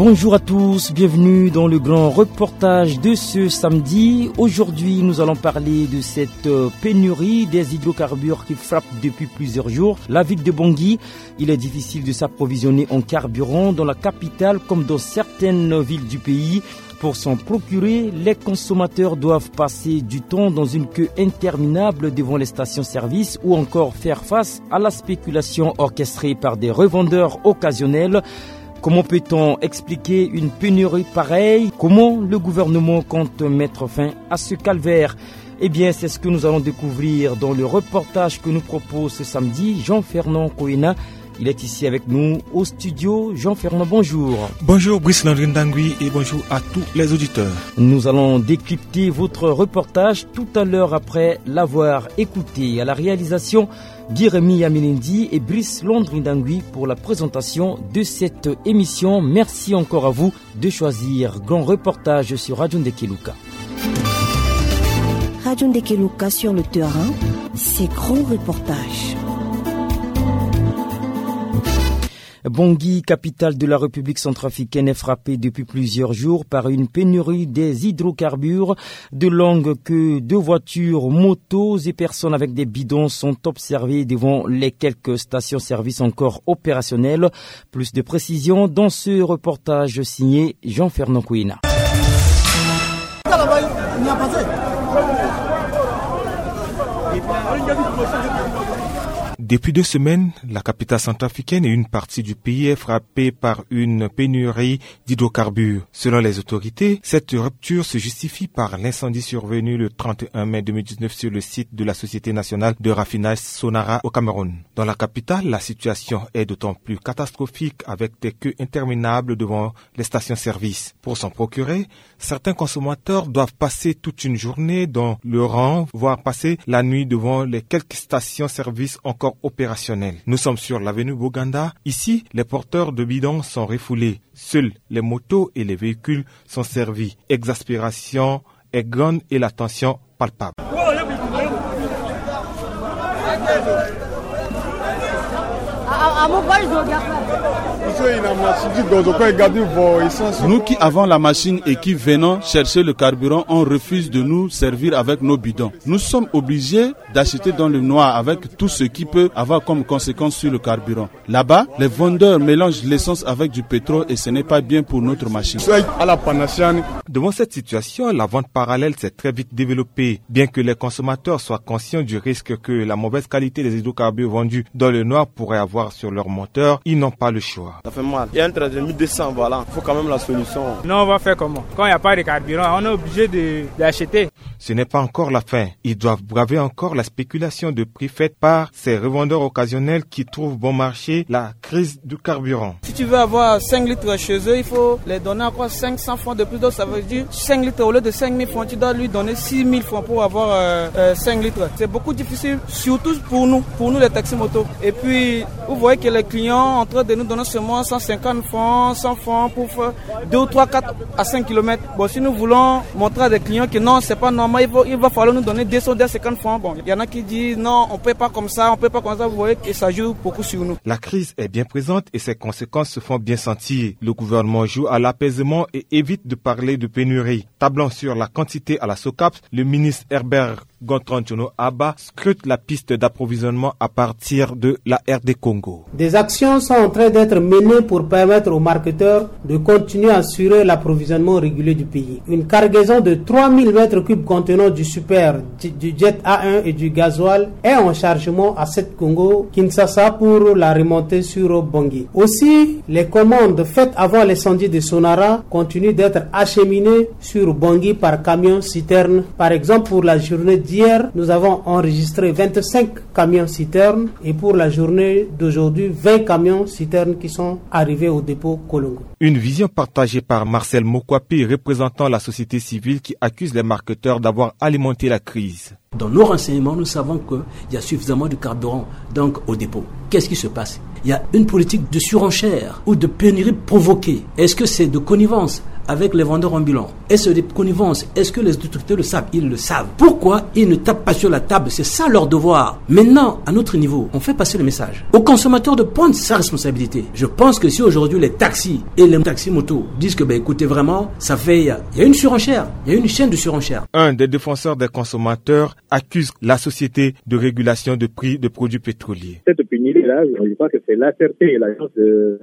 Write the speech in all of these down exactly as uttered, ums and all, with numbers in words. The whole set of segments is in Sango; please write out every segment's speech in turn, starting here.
Bonjour à tous, bienvenue dans le grand reportage de ce samedi. Aujourd'hui, nous allons parler de cette euh, pénurie des hydrocarbures qui frappe depuis plusieurs jours la ville de Bangui. Il est difficile de s'approvisionner en carburant dans la capitale comme dans certaines villes du pays. Pour s'en procurer, les consommateurs doivent passer du temps dans une queue interminable devant les stations-service ou encore faire face à la spéculation orchestrée par des revendeurs occasionnels. Comment peut-on expliquer une pénurie pareille ? Comment le gouvernement compte mettre fin à ce calvaire ? Eh bien, c'est ce que nous allons découvrir dans le reportage que nous propose ce samedi Jean-Fernand Koena. Il est ici avec nous au studio. Jean-Fernand, bonjour. Bonjour Brice Landry Ndangui et bonjour à tous les auditeurs. Nous allons décrypter votre reportage tout à l'heure après l'avoir écouté. À la réalisation, Guy-Rémy Yamilindi et Brice Landry Ndangui pour la présentation de cette émission. Merci encore à vous de choisir Grand Reportage sur Radio Ndekeluka. Radio Ndekeluka sur le terrain, c'est Grand Reportage. Bangui, capitale de la République centrafricaine, est frappée depuis plusieurs jours par une pénurie des hydrocarbures. De longues queues de voitures, motos et personnes avec des bidons sont observées devant les quelques stations-service encore opérationnelles. Plus de précisions dans ce reportage signé Jean-Fernand Kouina. Depuis deux semaines, la capitale centrafricaine et une partie du pays est frappée par une pénurie d'hydrocarbures. Selon les autorités, cette rupture se justifie par l'incendie survenu le trente et un mai deux mille dix-neuf sur le site de la Société nationale de raffinage Sonara au Cameroun. Dans la capitale, la situation est d'autant plus catastrophique avec des queues interminables devant les stations-service. Pour s'en procurer, certains consommateurs doivent passer toute une journée dans le rang, voire passer la nuit devant les quelques stations-service encore opérationnelles. Nous sommes sur l'avenue Bouganda. Ici, les porteurs de bidons sont refoulés. Seuls les motos et les véhicules sont servis. Exaspération est grande et la tension palpable. Nous qui avons la machine et qui venons chercher le carburant, on refuse de nous servir avec nos bidons. Nous sommes obligés d'acheter dans le noir avec tout ce qui peut avoir comme conséquence sur le carburant. Là-bas, les vendeurs mélangent l'essence avec du pétrole et ce n'est pas bien pour notre machine. Devant cette situation, la vente parallèle s'est très vite développée. Bien que les consommateurs soient conscients du risque que la mauvaise qualité des hydrocarbures vendus dans le noir pourrait avoir sur leur moteur, ils n'ont pas le choix. Ça fait mal. Il y a un trajet de mille deux cents, voilà. Il faut quand même la solution. Non, on va faire comment ? Quand il n'y a pas de carburant, on est obligé de, d'acheter. Ce n'est pas encore la fin. Ils doivent braver encore la spéculation de prix faite par ces revendeurs occasionnels qui trouvent bon marché la crise du carburant. Si tu veux avoir cinq litres chez eux, il faut les donner encore cinq cents francs de plus. Donc ça veut dire cinq litres au lieu de cinq mille francs, tu dois lui donner six mille francs pour avoir euh, euh, cinq litres. C'est beaucoup difficile, surtout pour nous, pour nous les taxis motos. Et puis, vous voyez que les clients sont en train de nous donner seulement cent cinquante francs, cent francs pour faire deux ou trois, quatre à cinq kilomètres. Bon, si nous voulons montrer à des clients que non, c'est pas normal, il va, il va falloir nous donner deux cents, deux cent cinquante francs. Bon, il y en a qui disent non, on peut pas comme ça, on peut pas comme ça. Vous voyez que ça joue beaucoup sur nous. La crise est bien présente et ses conséquences se font bien sentir. Le gouvernement joue à l'apaisement et évite de parler de pénurie. Tablant sur la quantité à la SOCAP, le ministre Herbert Gontran Tchono Abba scrute la piste d'approvisionnement à partir de la R D Congo. Des actions sont en train d'être menées pour permettre aux marketeurs de continuer à assurer l'approvisionnement régulier du pays. Une cargaison de trois mille mètres cubes contenant du super, du, du jet A un et du gasoil est en chargement à Sept Congo, Kinshasa pour la remontée sur Bangui. Aussi, les commandes faites avant l'incendie de Sonara continuent d'être acheminées sur Bangui par camion citerne. Par exemple, pour la journée d'hier, nous avons enregistré vingt-cinq camions citernes et pour la journée d'aujourd'hui, vingt camions citernes qui sont arrivés au dépôt Kolongo. Une vision partagée par Marcel Mokwapi, représentant la société civile, qui accuse les marketeurs d'avoir alimenté la crise. Dans nos renseignements, nous savons qu'il y a suffisamment de carburant donc au dépôt. Qu'est-ce qui se passe ? Il y a une politique de surenchère ou de pénurie provoquée. Est-ce que c'est de connivence avec les vendeurs ambulants? Est-ce de connivence? Est-ce que les autorités le savent? Ils le savent. Pourquoi ils ne tapent pas sur la table? C'est ça leur devoir. Maintenant, à notre niveau, on fait passer le message au consommateur de prendre sa responsabilité. Je pense que si aujourd'hui les taxis et les taxis motos disent que, ben, écoutez, vraiment, ça fait, il y a une surenchère, il y a une chaîne de surenchère. Un des défenseurs des consommateurs accuse la société de régulation de prix de produits pétroliers. Cette pénurie-là, je crois que c'est l'A C R T et l'agence de,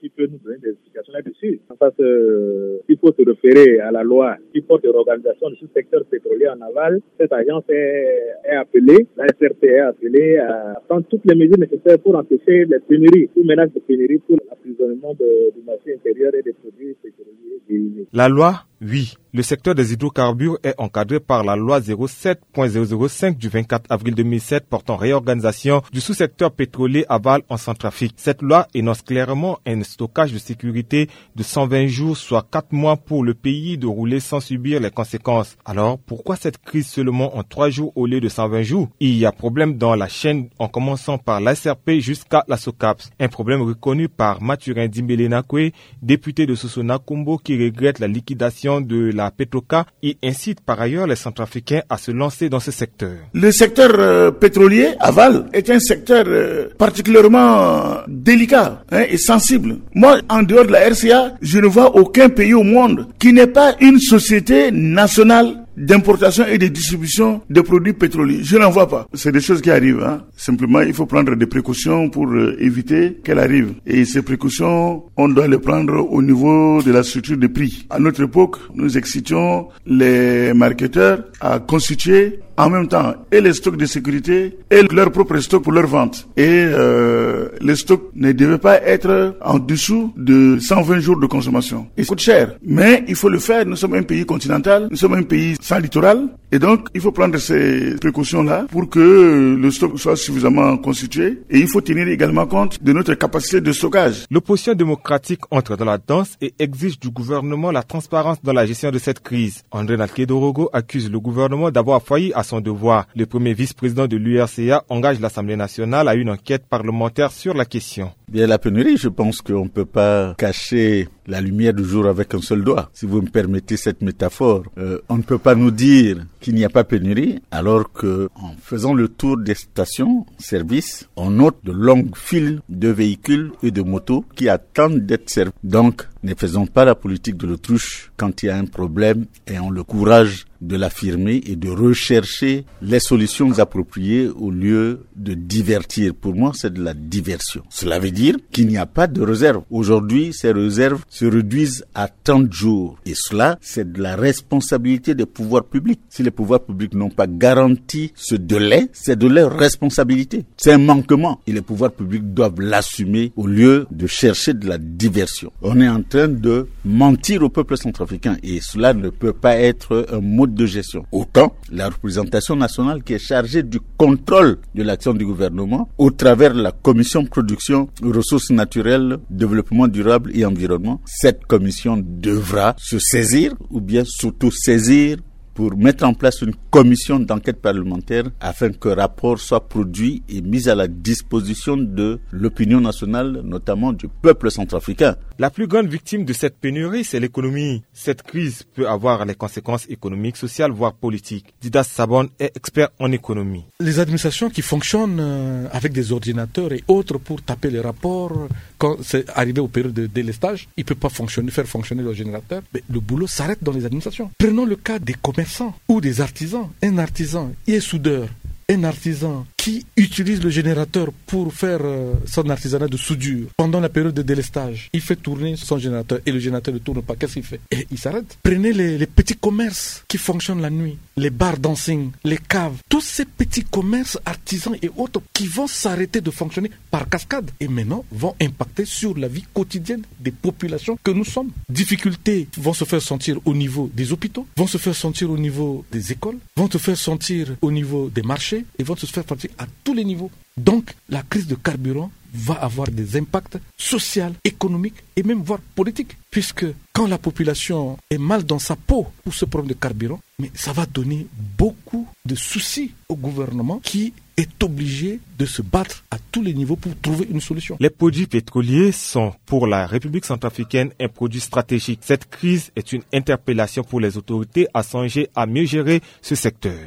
qui peut nous donner des explications là-dessus. Parce que, euh, il faut se référer à la loi qui porte l'organisation de ce secteur pétrolier en aval. Cette agence est, est appelée, l'A C R T est appelée à prendre toutes les mesures nécessaires pour empêcher les pénuries ou menaces de pénurie pour l'approvisionnement de, du marché intérieur et des produits pétroliers dérivés. La loi, oui. Le secteur des hydrocarbures est encadré par la loi zéro sept point zéro zéro cinq du vingt-quatre avril deux mille sept portant réorganisation du sous-secteur pétrolier aval en Centrafrique. Cette loi énonce clairement un stockage de sécurité de cent vingt jours, soit quatre mois pour le pays de rouler sans subir les conséquences. Alors, pourquoi cette crise seulement en trois jours au lieu de cent vingt jours? Il y a problème dans la chaîne en commençant par l'A S R P jusqu'à la SOCAPS. Un problème reconnu par Mathurin Dimbele Nakwe, député de Soso-Nakombo, qui regrette la liquidation de la Petroca. Il incite par ailleurs les Centrafricains à se lancer dans ce secteur. Le secteur euh, pétrolier aval est un secteur euh, particulièrement délicat, hein, et sensible. Moi, en dehors de la R C A, je ne vois aucun pays au monde qui n'ait pas une société nationale d'importation et de distribution de produits pétroliers. Je n'en vois pas. C'est des choses qui arrivent, hein. Simplement, il faut prendre des précautions pour euh, éviter qu'elles arrivent. Et ces précautions, on doit les prendre au niveau de la structure de prix. À notre époque, nous excitions les marketeurs à constituer en même temps et les stocks de sécurité et leur propre stock pour leur vente. Et euh, les stocks ne devaient pas être en dessous de cent vingt jours de consommation. Il coûte cher, mais il faut le faire. Nous sommes un pays continental, nous sommes un pays sans littoral. Et donc, il faut prendre ces précautions-là pour que le stock soit suffisamment constitué. Et il faut tenir également compte de notre capacité de stockage. L'opposition démocratique entre dans la danse et exige du gouvernement la transparence dans la gestion de cette crise. André Nalkedorogo accuse le gouvernement d'avoir failli à son devoir. Le premier vice-président de l'U R C A engage l'Assemblée nationale à une enquête parlementaire sur la question. Bien, la pénurie, je pense qu'on ne peut pas cacher la lumière du jour avec un seul doigt. Si vous me permettez cette métaphore, euh, on ne peut pas nous dire qu'il n'y a pas pénurie alors que, en faisant le tour des stations-service, on note de longues files de véhicules et de motos qui attendent d'être servis. Donc, ne faisons pas la politique de l'autruche. Quand il y a un problème, ayons le courage de l'affirmer et de rechercher les solutions appropriées au lieu de divertir. Pour moi, c'est de la diversion. Cela veut dire qu'il n'y a pas de réserve. Aujourd'hui, ces réserves se réduisent à trente jours. Et cela, c'est de la responsabilité des pouvoirs publics. Si les pouvoirs publics n'ont pas garanti ce délai, c'est de leur responsabilité. C'est un manquement. Et les pouvoirs publics doivent l'assumer au lieu de chercher de la diversion. On est en train de mentir au peuple centrafricain. Et cela ne peut pas être un mode de gestion. Autant la représentation nationale qui est chargée du contrôle de l'action du gouvernement au travers de la commission production, ressources naturelles, développement durable et environnement. Cette commission devra se saisir ou bien s'auto-saisir pour mettre en place une commission d'enquête parlementaire afin que rapport soit produit et mis à la disposition de l'opinion nationale, notamment du peuple centrafricain. La plus grande victime de cette pénurie, c'est l'économie. Cette crise peut avoir les conséquences économiques, sociales, voire politiques. Didas Sabon est expert en économie. Les administrations qui fonctionnent euh, avec des ordinateurs et autres pour taper les rapports, quand c'est arrivé aux périodes de délestage, il ne peut pas fonctionner, faire fonctionner le générateur. Mais le boulot s'arrête dans les administrations. Prenons le cas des commerçants ou des artisans. Un artisan, il est soudeur. Un artisan qui utilise le générateur pour faire euh, son artisanat de soudure pendant la période de délestage, il fait tourner son générateur et le générateur ne tourne pas. Qu'est-ce qu'il fait? Et il s'arrête. Prenez les, les petits commerces qui fonctionnent la nuit, les bars dancing, les caves, tous ces petits commerces, artisans et autres qui vont s'arrêter de fonctionner par cascade et maintenant vont impacter sur la vie quotidienne des populations que nous sommes. Difficultés vont se faire sentir au niveau des hôpitaux, vont se faire sentir au niveau des écoles, vont se faire sentir au niveau des marchés et vont se faire sentir à tous les niveaux. Donc, la crise de carburant va avoir des impacts sociaux, économiques et même voire politiques. Puisque quand la population est mal dans sa peau pour ce problème de carburant, mais ça va donner beaucoup de souci au gouvernement qui est obligé de se battre à tous les niveaux pour trouver une solution. Les produits pétroliers sont pour la République centrafricaine un produit stratégique. Cette crise est une interpellation pour les autorités à songer à mieux gérer ce secteur.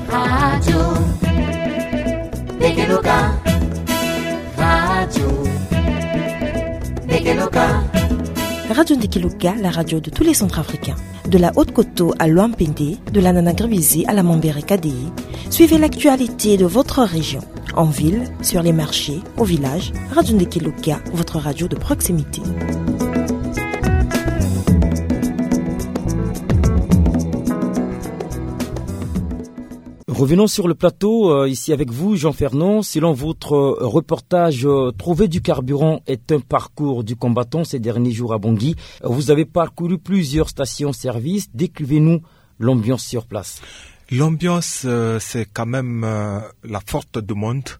Radio Ndekeloka, la radio de tous les Centrafricains. De la Haute-Koto à Loampende, de la Nana Gribizi à la Mambere Kadei, suivez l'actualité de votre région. En ville, sur les marchés, au village, Radio Ndekeloka, votre radio de proximité. Revenons sur le plateau, euh, ici avec vous, Jean Fernand. Selon votre, euh, reportage, euh, trouver du carburant est un parcours du combattant ces derniers jours à Bangui. Vous avez parcouru plusieurs stations-service. Décrivez-nous l'ambiance sur place. L'ambiance, euh, c'est quand même, euh, la forte demande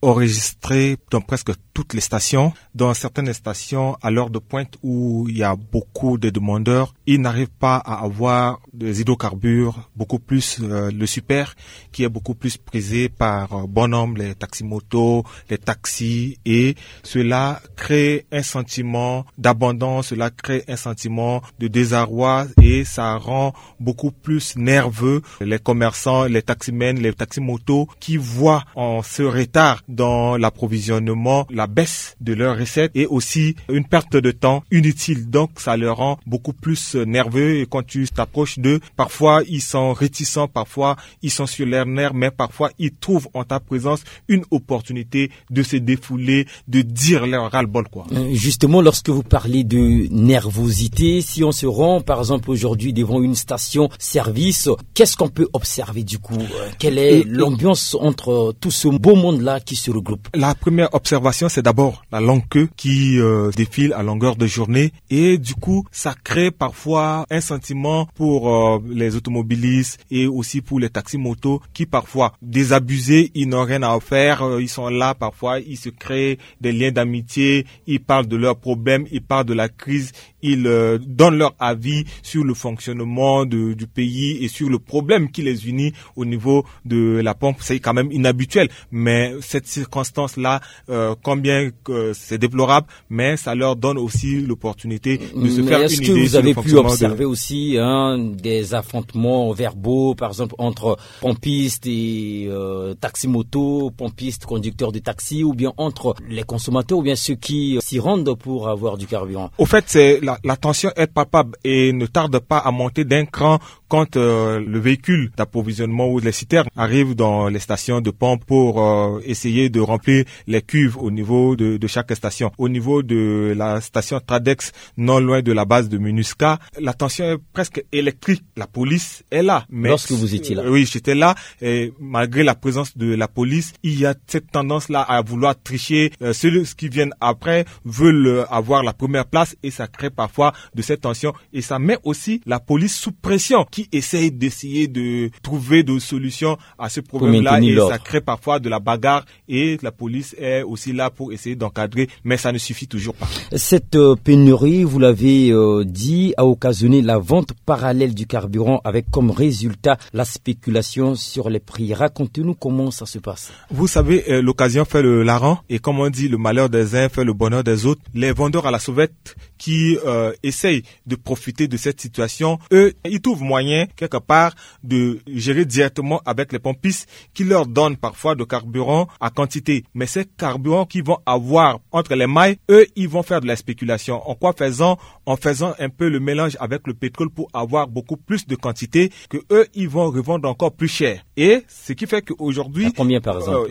enregistrée dans presque toutes les stations. Dans certaines stations, à l'heure de pointe où il y a beaucoup de demandeurs, ils n'arrivent pas à avoir des hydrocarbures, beaucoup plus, euh, le super, qui est beaucoup plus prisé par, euh, bon nombre, les taxis-motos, les taxis, et cela crée un sentiment d'abandon, cela crée un sentiment de désarroi et ça rend beaucoup plus nerveux les commerçants, les taximens, les taxis-motos qui voient en ce retard dans l'approvisionnement la baisse de leurs recettes et aussi une perte de temps inutile. Donc ça les rend beaucoup plus nerveux et quand tu t'approches d'eux, parfois ils sont réticents, parfois ils sont sur leurs nerfs, mais parfois ils trouvent en ta présence une opportunité de se défouler, de dire leur ras-le-bol, quoi. Euh, justement, lorsque vous parlez de nervosité, si on se rend par exemple aujourd'hui devant une station-service, qu'est-ce qu'on peut observer du coup ? Euh, quelle est l'ambiance entre, euh, tout ce beau monde-là qui se regroupe ? La première observation, c'est d'abord la longue queue qui, euh, défile à longueur de journée et du coup, ça crée parfois un sentiment pour, euh, les automobilistes et aussi pour les taxis-motos qui parfois désabusés, ils n'ont rien à faire, euh, ils sont là, parfois ils se créent des liens d'amitié, ils parlent de leurs problèmes, ils parlent de la crise, ils, euh, donnent leur avis sur le fonctionnement de, du pays et sur le problème qui les unit au niveau de la pompe. C'est quand même inhabituel, mais cette circonstance-là, euh, combien que c'est déplorable, mais ça leur donne aussi l'opportunité de se faire une idée sur le fonctionnement. Est-ce que vous avez pu observer aussi, hein, des affrontements verbaux, par exemple, entre pompistes et, euh, taxi-moto, pompistes, conducteurs de taxi, ou bien entre les consommateurs, ou bien ceux qui, euh, s'y rendent pour avoir du carburant ? Au fait, c'est la, la tension est palpable et ne tarde pas à monter d'un cran quand, euh, le véhicule d'approvisionnement ou les citernes arrivent dans les stations de pompe pour, euh, essayer de remplir les cuves au niveau de, de chaque station. Au niveau de la station Tradex, non loin de la base de MINUSCA, la tension est presque électrique. La police est là. Mais lorsque vous étiez là ? Euh, oui, j'étais là. Et malgré la présence de la police, il y a cette tendance-là à vouloir tricher. Euh, ceux qui viennent après veulent, euh, avoir la première place et ça crée parfois de cette tension. Et ça met aussi la police sous pression qui essaye d'essayer de trouver des solutions à ce problème-là. Et ça crée parfois de la bagarre et la police est aussi là pour essayer d'encadrer, mais ça ne suffit toujours pas. Cette, euh, pénurie, vous l'avez, euh, dit, a occasionné la vente parallèle du carburant avec comme résultat la spéculation sur les prix. Racontez-nous comment ça se passe. Vous savez, euh, l'occasion fait le larron et comme on dit, le malheur des uns fait le bonheur des autres. Les vendeurs à la sauvette qui, euh, essayent de profiter de cette situation, eux, ils trouvent moyen quelque part de gérer directement avec les pompistes qui leur donnent parfois de carburant à quantité. Mais ces carburants qu'ils vont avoir entre les mailles, eux, ils vont faire de la spéculation. En quoi faisant ? En faisant un peu le mélange avec le pétrole pour avoir beaucoup plus de quantité que eux, ils vont revendre encore plus cher. Et ce qui fait qu'aujourd'hui,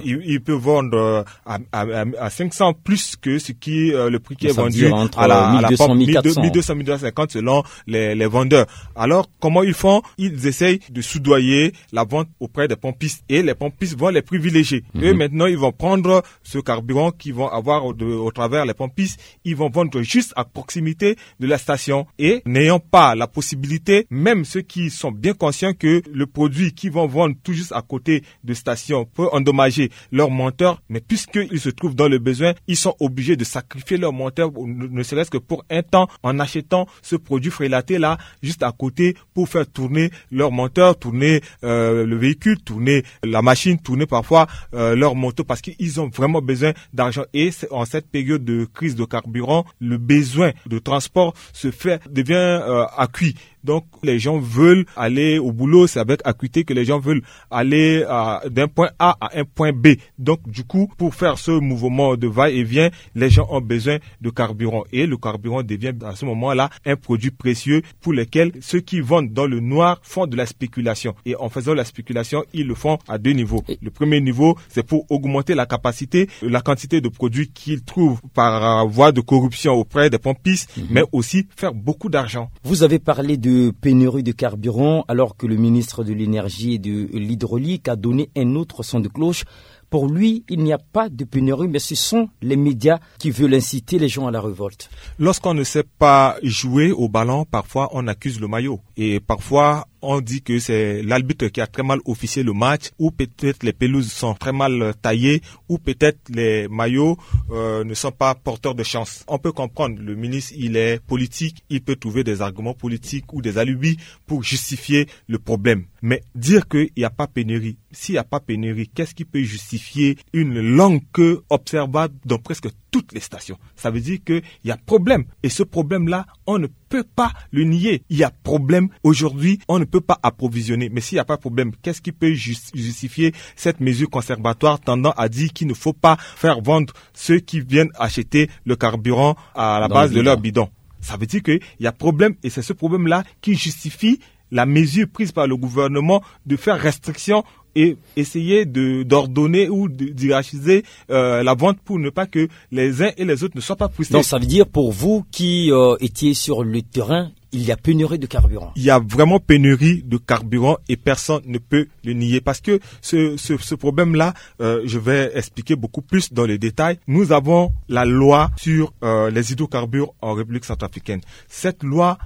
ils, ils peuvent vendre, euh, à, à, à cinq cents plus que ce qui, euh, le prix qui est vendu à la, à la pompe, mille deux cents, mille deux cents, mille deux cent cinquante selon les, les vendeurs. Alors, comment ils font ? pompes, ils essayent de soudoyer la vente auprès des pompistes et les pompistes vont les privilégier. Eux, maintenant, ils vont prendre ce carburant qu'ils vont avoir au, de- au travers les pompistes, ils vont vendre juste à proximité de la station et n'ayant pas la possibilité, même ceux qui sont bien conscients que le produit qu'ils vont vendre tout juste à côté de station peut endommager leur monteur, mais puisqu'ils se trouvent dans le besoin, ils sont obligés de sacrifier leur monteur, ne ne serait-ce que pour un temps, en achetant ce produit frélaté là juste à côté pour faire tourner leur monteur, tourner euh, le véhicule, tourner la machine, tourner parfois euh, leur moto parce qu'ils ont vraiment besoin d'argent. Et c'est- en cette période de crise de carburant, le besoin de transport se fait, devient euh, acquis. Donc, les gens veulent aller au boulot, c'est avec acuité que les gens veulent aller euh, d'un point A à un point B. Donc, du coup, pour faire ce mouvement de va-et-vient, les gens ont besoin de carburant. Et le carburant devient à ce moment-là un produit précieux pour lequel ceux qui vendent dans le noir font de la spéculation. Et en faisant la spéculation, ils le font à deux niveaux. Le premier niveau, c'est pour augmenter la capacité, la quantité de produits qu'ils trouvent par euh, voie de corruption auprès des pompistes, mais aussi faire beaucoup d'argent. Vous avez parlé de pénurie de carburant alors que le ministre de l'énergie et de l'hydraulique a donné un autre son de cloche. Pour lui, il n'y a pas de pénurie, mais ce sont les médias qui veulent inciter les gens à la révolte. Lorsqu'on ne sait pas jouer au ballon, parfois on accuse le maillot. Et parfois, on dit que c'est l'arbitre qui a très mal officié le match, ou peut-être les pelouses sont très mal taillées, ou peut-être les maillots euh, ne sont pas porteurs de chance. On peut comprendre, le ministre, il est politique, il peut trouver des arguments politiques ou des alibis pour justifier le problème. Mais dire qu'il n'y a pas pénurie, s'il n'y a pas pénurie, qu'est-ce qui peut justifier une longue queue observable dans presque toutes les stations ? Ça veut dire qu'il y a problème. Et ce problème-là, on ne peut pas le nier. Il y a problème. Aujourd'hui, on ne peut pas approvisionner. Mais s'il n'y a pas de problème, qu'est-ce qui peut jus- justifier cette mesure conservatoire tendant à dire qu'il ne faut pas faire vendre ceux qui viennent acheter le carburant à la base de leur bidon ? Ça veut dire qu'il y a problème et c'est ce problème-là qui justifie la mesure prise par le gouvernement de faire restriction et essayer de d'ordonner ou de- d'hierarchiser euh, la vente pour ne pas que les uns et les autres ne soient pas frustrés. Donc ça veut dire pour vous qui euh, étiez sur le terrain, il y a pénurie de carburant. Il y a vraiment pénurie de carburant et personne ne peut le nier parce que ce, ce, ce problème-là, euh, je vais expliquer beaucoup plus dans les détails. Nous avons la loi sur euh, les hydrocarbures en République centrafricaine. Cette loi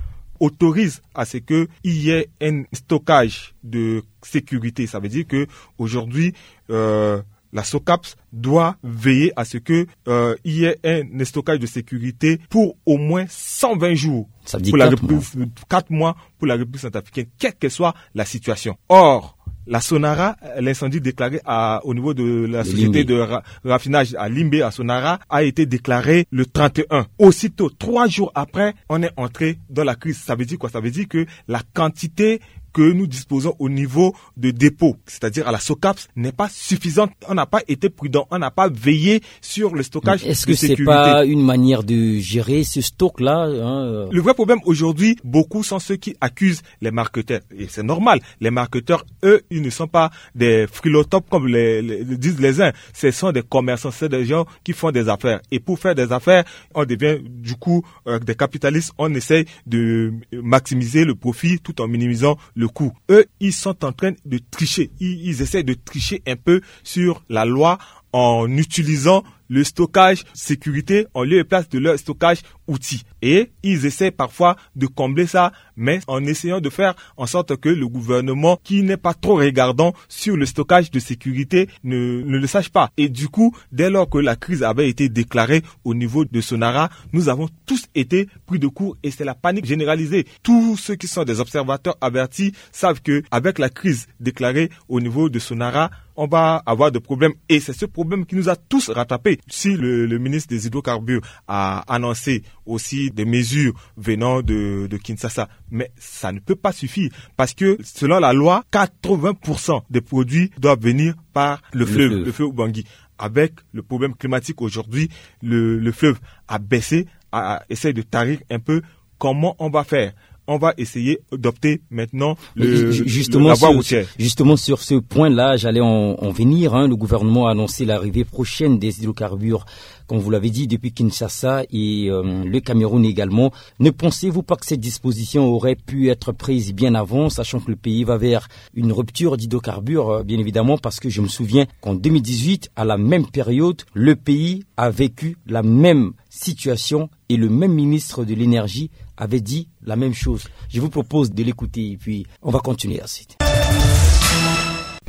autorise à ce qu'il y ait un stockage de sécurité. Ça veut dire que aujourd'hui, euh, la SOCAPS doit veiller à ce que euh, il y ait un stockage de sécurité pour au moins cent vingt jours. Ça veut dire pour la quatre République- mois. Quatre mois pour la République centrafricaine, quelle que soit la situation. Or, la Sonara, l'incendie déclaré à- au niveau de la De société Limbe. de ra- raffinage à Limbe, à Sonara, a été déclaré le trente et un. Aussitôt, trois jours après, on est entré dans la crise. Ça veut dire quoi ? Ça veut dire que la quantité que nous disposons au niveau de dépôt, c'est-à-dire à la SOCAPS, n'est pas suffisante. On n'a pas été prudent, on n'a pas veillé sur le stockage. Est-ce que c'est pas une manière de gérer ce stock-là, hein, euh ? Le vrai problème aujourd'hui, beaucoup sont ceux qui accusent les marketeurs. Et c'est normal, les marketeurs, eux, ils ne sont pas des frilotopes comme les, les- disent les uns. Ce sont des commerçants, c'est des gens qui font des affaires. Et pour faire des affaires, on devient du coup euh, des capitalistes, on essaye de maximiser le profit tout en minimisant le coût. Eux, ils sont en train de tricher. Ils, ils essaient de tricher un peu sur la loi en utilisant le stockage sécurité en lieu et place de leur stockage outil. Et ils essaient parfois de combler ça, mais en essayant de faire en sorte que le gouvernement, qui n'est pas trop regardant sur le stockage de sécurité, ne, ne le sache pas. Et du coup, dès lors que la crise avait été déclarée au niveau de Sonara, nous avons tous été pris de court et c'est la panique généralisée. Tous ceux qui sont des observateurs avertis savent que avec la crise déclarée au niveau de Sonara, on va avoir des problèmes. Et c'est ce problème qui nous a tous rattrapés. Si le, le ministre des Hydrocarbures a annoncé aussi des mesures venant de, de Kinshasa, mais ça ne peut pas suffire parce que selon la loi, quatre-vingts pour cent des produits doivent venir par le Le fleuve, fleuve. le fleuve Ubangui. Avec le problème climatique aujourd'hui, le, le fleuve a baissé, a, a- essaie de tarir un peu. Comment on va faire ? on va essayer d'opter maintenant le, Ju- justement, la voie sur, routière. Justement, sur ce point-là, j'allais en, en venir, hein. Le gouvernement a annoncé l'arrivée prochaine des hydrocarbures, comme vous l'avez dit, depuis Kinshasa et, euh, le Cameroun également. Ne pensez-vous pas que cette disposition aurait pu être prise bien avant, sachant que le pays va vers une rupture d'hydrocarbures, euh, bien évidemment, parce que je me souviens qu'en deux mille dix-huit, à la même période, le pays a vécu la même situation et le même ministre de l'énergie avait dit la même chose. Je vous propose de l'écouter et puis on va continuer ensuite.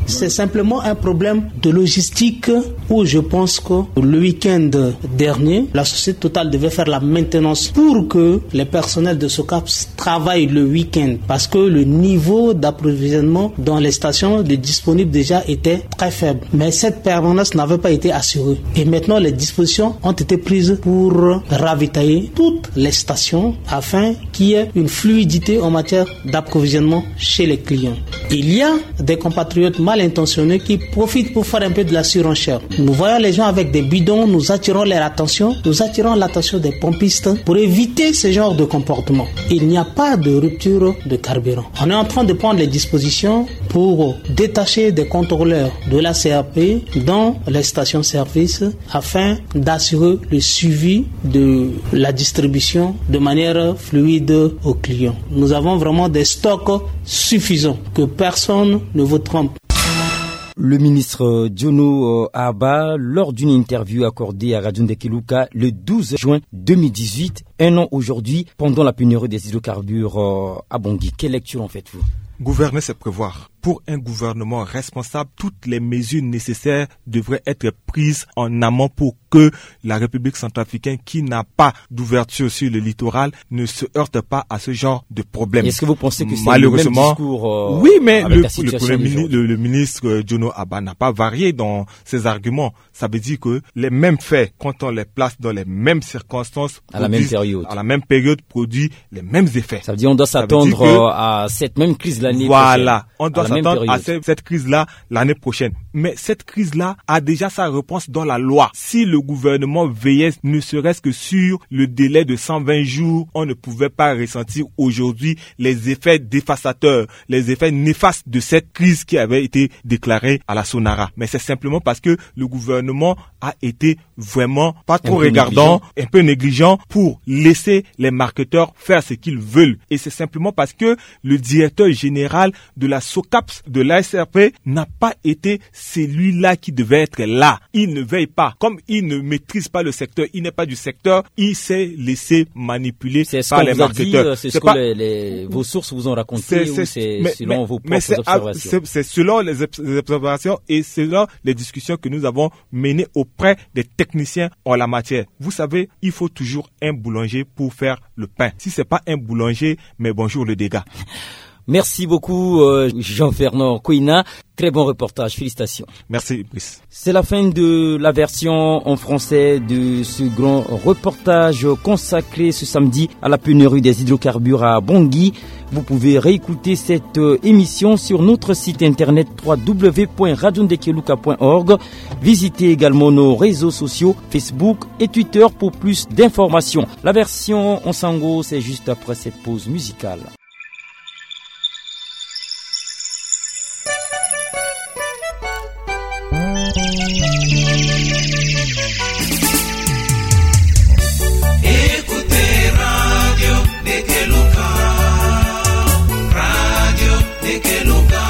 C'est simplement un problème de logistique où je pense que le week-end dernier, la société Total devait faire la maintenance pour que les personnels de SOCAPS travaillent le week-end, parce que le niveau d'approvisionnement dans les stations de disponibles déjà était très faible. Mais cette permanence n'avait pas été assurée. Et maintenant, les dispositions ont été prises pour ravitailler toutes les stations afin qu'il y ait une fluidité en matière d'approvisionnement chez les clients. Il y a des compatriotes mal intentionnés qui profitent pour faire un peu de la surenchère. Nous voyons les gens avec des bidons, nous attirons leur attention, nous attirons l'attention des pompistes pour éviter ce genre de comportement. Il n'y a pas de rupture de carburant. On est en train de prendre les dispositions pour détacher des contrôleurs de la C R P dans les stations-service afin d'assurer le suivi de la distribution de manière fluide aux clients. Nous avons vraiment des stocks suffisants, que personne ne vous trompe. Le ministre Djono, euh, Aba, lors d'une interview accordée à Radio Ndekeluka le douze juin deux mille dix-huit, un an aujourd'hui, pendant la pénurie des hydrocarbures, euh, à Bangui. Quelle lecture en faites-vous ? Gouverner, c'est prévoir. Pour un gouvernement responsable, toutes les mesures nécessaires devraient être prises en amont pour que la République centrafricaine, qui n'a pas d'ouverture sur le littoral, ne se heurte pas à ce genre de problème. Est-ce que vous pensez que c'est le même discours, euh, oui, mais avec le, la situation le, mini- le, le ministre, euh, Djono Aba n'a pas varié dans ses arguments. Ça veut dire que les mêmes faits, quand on les place dans les mêmes circonstances, à la même période, produit les mêmes effets. Ça veut dire on doit s'attendre, euh, à cette même crise l'année prochaine. Voilà, on doit s'attendre à cette, cette crise-là l'année prochaine. Mais cette crise-là a déjà sa réponse dans la loi. Si le gouvernement veillait ne serait-ce que sur le délai de cent vingt jours, on ne pouvait pas ressentir aujourd'hui les effets dévastateurs, les effets néfastes de cette crise qui avait été déclarée à la Sonara. Mais c'est simplement parce que le gouvernement a été vraiment pas trop regardant, un peu négligent pour laisser les marketeurs faire ce qu'ils veulent. Et c'est simplement parce que le directeur général de la SOCAPS, de l'A S R P, n'a pas été celui-là qui devait être là. Il ne veille pas. Comme il ne maîtrise pas le secteur, il n'est pas du secteur, il s'est laissé manipuler par les marketeurs. C'est ce qu'on vous a dit, euh, c'est ce que les, les, vos sources vous ont raconté, ou c'est selon vos propres observations ? C'est selon les obs-, les observations et selon les discussions que nous avons menées auprès des techniciens en la matière. Vous savez, il faut toujours un boulanger pour faire le pain. Si c'est pas un boulanger, mais bonjour le dégât. Merci beaucoup, euh, Jean-Fernand Kouina. Très bon reportage, félicitations. Merci, Brice. C'est la fin de la version en français de ce grand reportage consacré ce samedi à la pénurie des hydrocarbures à Bangui. Vous pouvez réécouter cette, euh, émission sur notre site internet trois w point radio ndekeluka point org. Visitez également nos réseaux sociaux, Facebook et Twitter, pour plus d'informations. La version en sango, c'est juste après cette pause musicale. Écoutez Radio Ndekeluka. Radio Ndekeluka.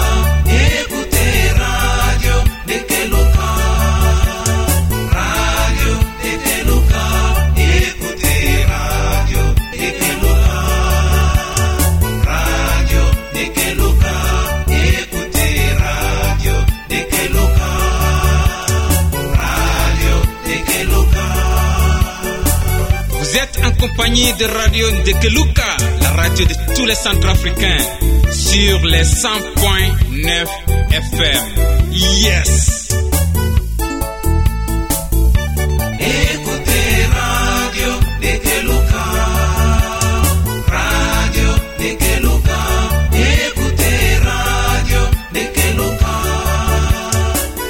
Écoutez Radio Ndekeluka. Radio Ndekeluka. Écoutez Radio Ndekeluka. Radio Ndekeluka. Écoutez Radio Ndekeluka. Radio Ndekeluka. Vous êtes en compagnie de Radio Ndekeluka, la radio de tous les Centrafricains, sur les cent point neuf F M. Yes. Écoutez Radio Ndekeluka. Radio Ndekeluka. Écoutez Radio Ndekeluka.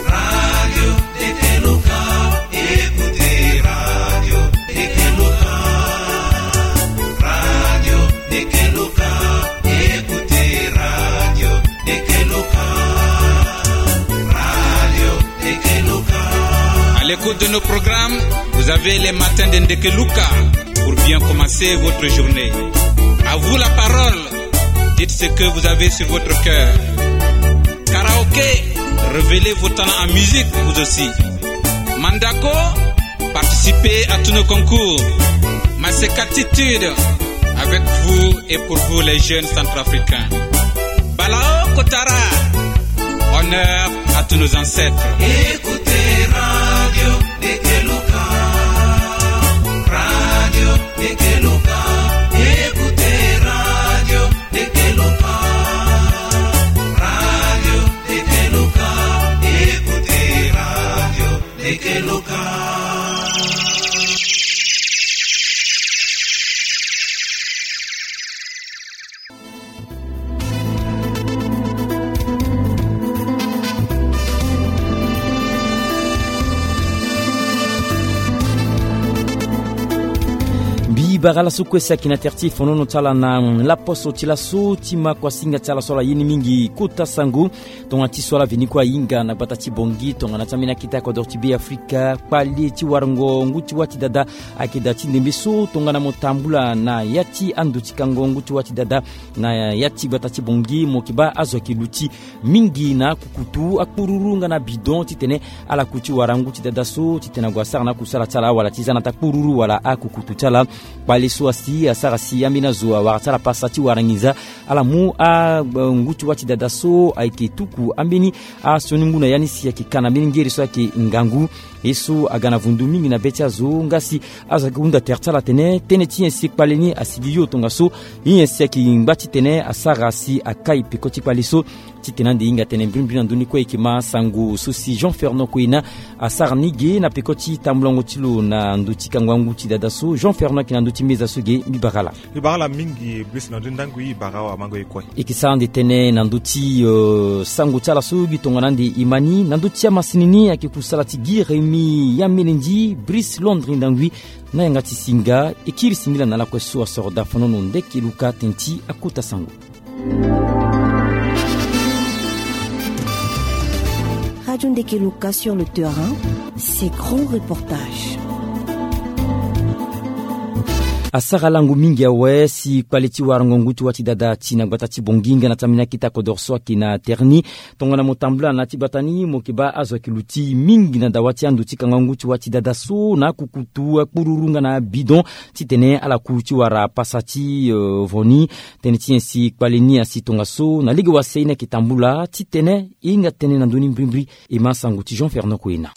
Radio Ndekeluka. Écoutez Radio Ndekeluka. Radio Ndekeluka. De nos programmes, vous avez les matins de Ndekeluka pour bien commencer votre journée. À vous la parole, dites ce que vous avez sur votre cœur. Karaoké, révélez vos talents en musique, vous aussi. Mandako, participez à tous nos concours. Masekatitude, avec vous et pour vous les jeunes centrafricains. Balao Kotara, honneur à tous nos ancêtres. Écoutez Radio Ndekeluka, Radio Ndekeluka, écoutez Radio Ndekeluka, Radio Ndekeluka, écoutez Radio Ndekeluka. Mbi bara ala so kue si ayeke na tere ti e fonono ti ala na laposo ti laso ti ma kuasinga ti ala so ala ye ni mingi kota sango. Tongana ti so ala veni kue ahinga na gbata ti Bangui tongana ti ambeni akete akodoro ti Be Afrika, kpale ti warango ngu ti wâ ti dada ayeke daa ti ndembe so tongana mo tambula na ya ti ando ti kango ngu ti wâ ti dada na ya ti gbata ti Bangui, mo yeke baa azo ayeke luti mingi na akukutu, akpururu nga na bidon titene ala ku ti wara ngu ti dada so titene ague asara na akusala ti ala wala ti za na ata kpururu wala akukutu ti ala. Kpale so asi asara si ambeni azo awara ti ala pasa ti wara nginza. Ala mu a, ngu ti wâ ti dada so ayeke tuku ambeni asioni ngu na ya ni si ayeke ka na mbeni ngere so ayeke ngangu. Ye so aga na vundu mingi na be ti azo nga si azo ayeke hunda tere ti ala atene tënë ti nyen si kpale ni asigi yo tongaso. Ye nyen si ayeke ngba titene asara si akai peko ti kpale so. Titene ande hinga tënë mbirimbiri na ndö ni kue e yeke ma sango so si Jean Fernand Koyena asara ni ge na peko ti tambulango ti lo na ndö ti kango angu ti dada so. Jean Fernand ayeke na ndö ti meza so ge, mbi bara ala. Mbi bara ala mingi, Brice, na ndö ti ndangui, mbi bara awamango ye kue. E yeke sara ande tënë na ndö ti, euh, sango ti ala so gi tongana ande e ma ni na ndö ti amasini ni ayeke kusala ti gi Rémi Yamene Ndi, Brice Londres Ndangui, na yanga ti singa. E kiri singila na lakue so asoro daa fonono Ndekeluka tënë ti akota sango. Radio Ndekeluka sur le terrain, ses grands reportages. Asara lango mingi awe si kpale ti warango ngu ti wâ ti dada ti na gbata ti Bangui nga na ti ambeni akete akodoro so ayeke na tere ni. Tongana mo tambula na ya ti gbata ni mo yeke baa azo ayeke luti mingi na dawa ti ando ti kango angu ti wâ ti dada so na akukutu, akpururu nga na abidon titene ala ku ti wara pasa ti, euh, vo ni. Tënë ti nyen si kpale ni asi tongaso? Na lege wase ye ni ayeke tambula titene e hinga tënë na ndö ni mbirimbiri. E ma sango ti Jean Fernand Koyena.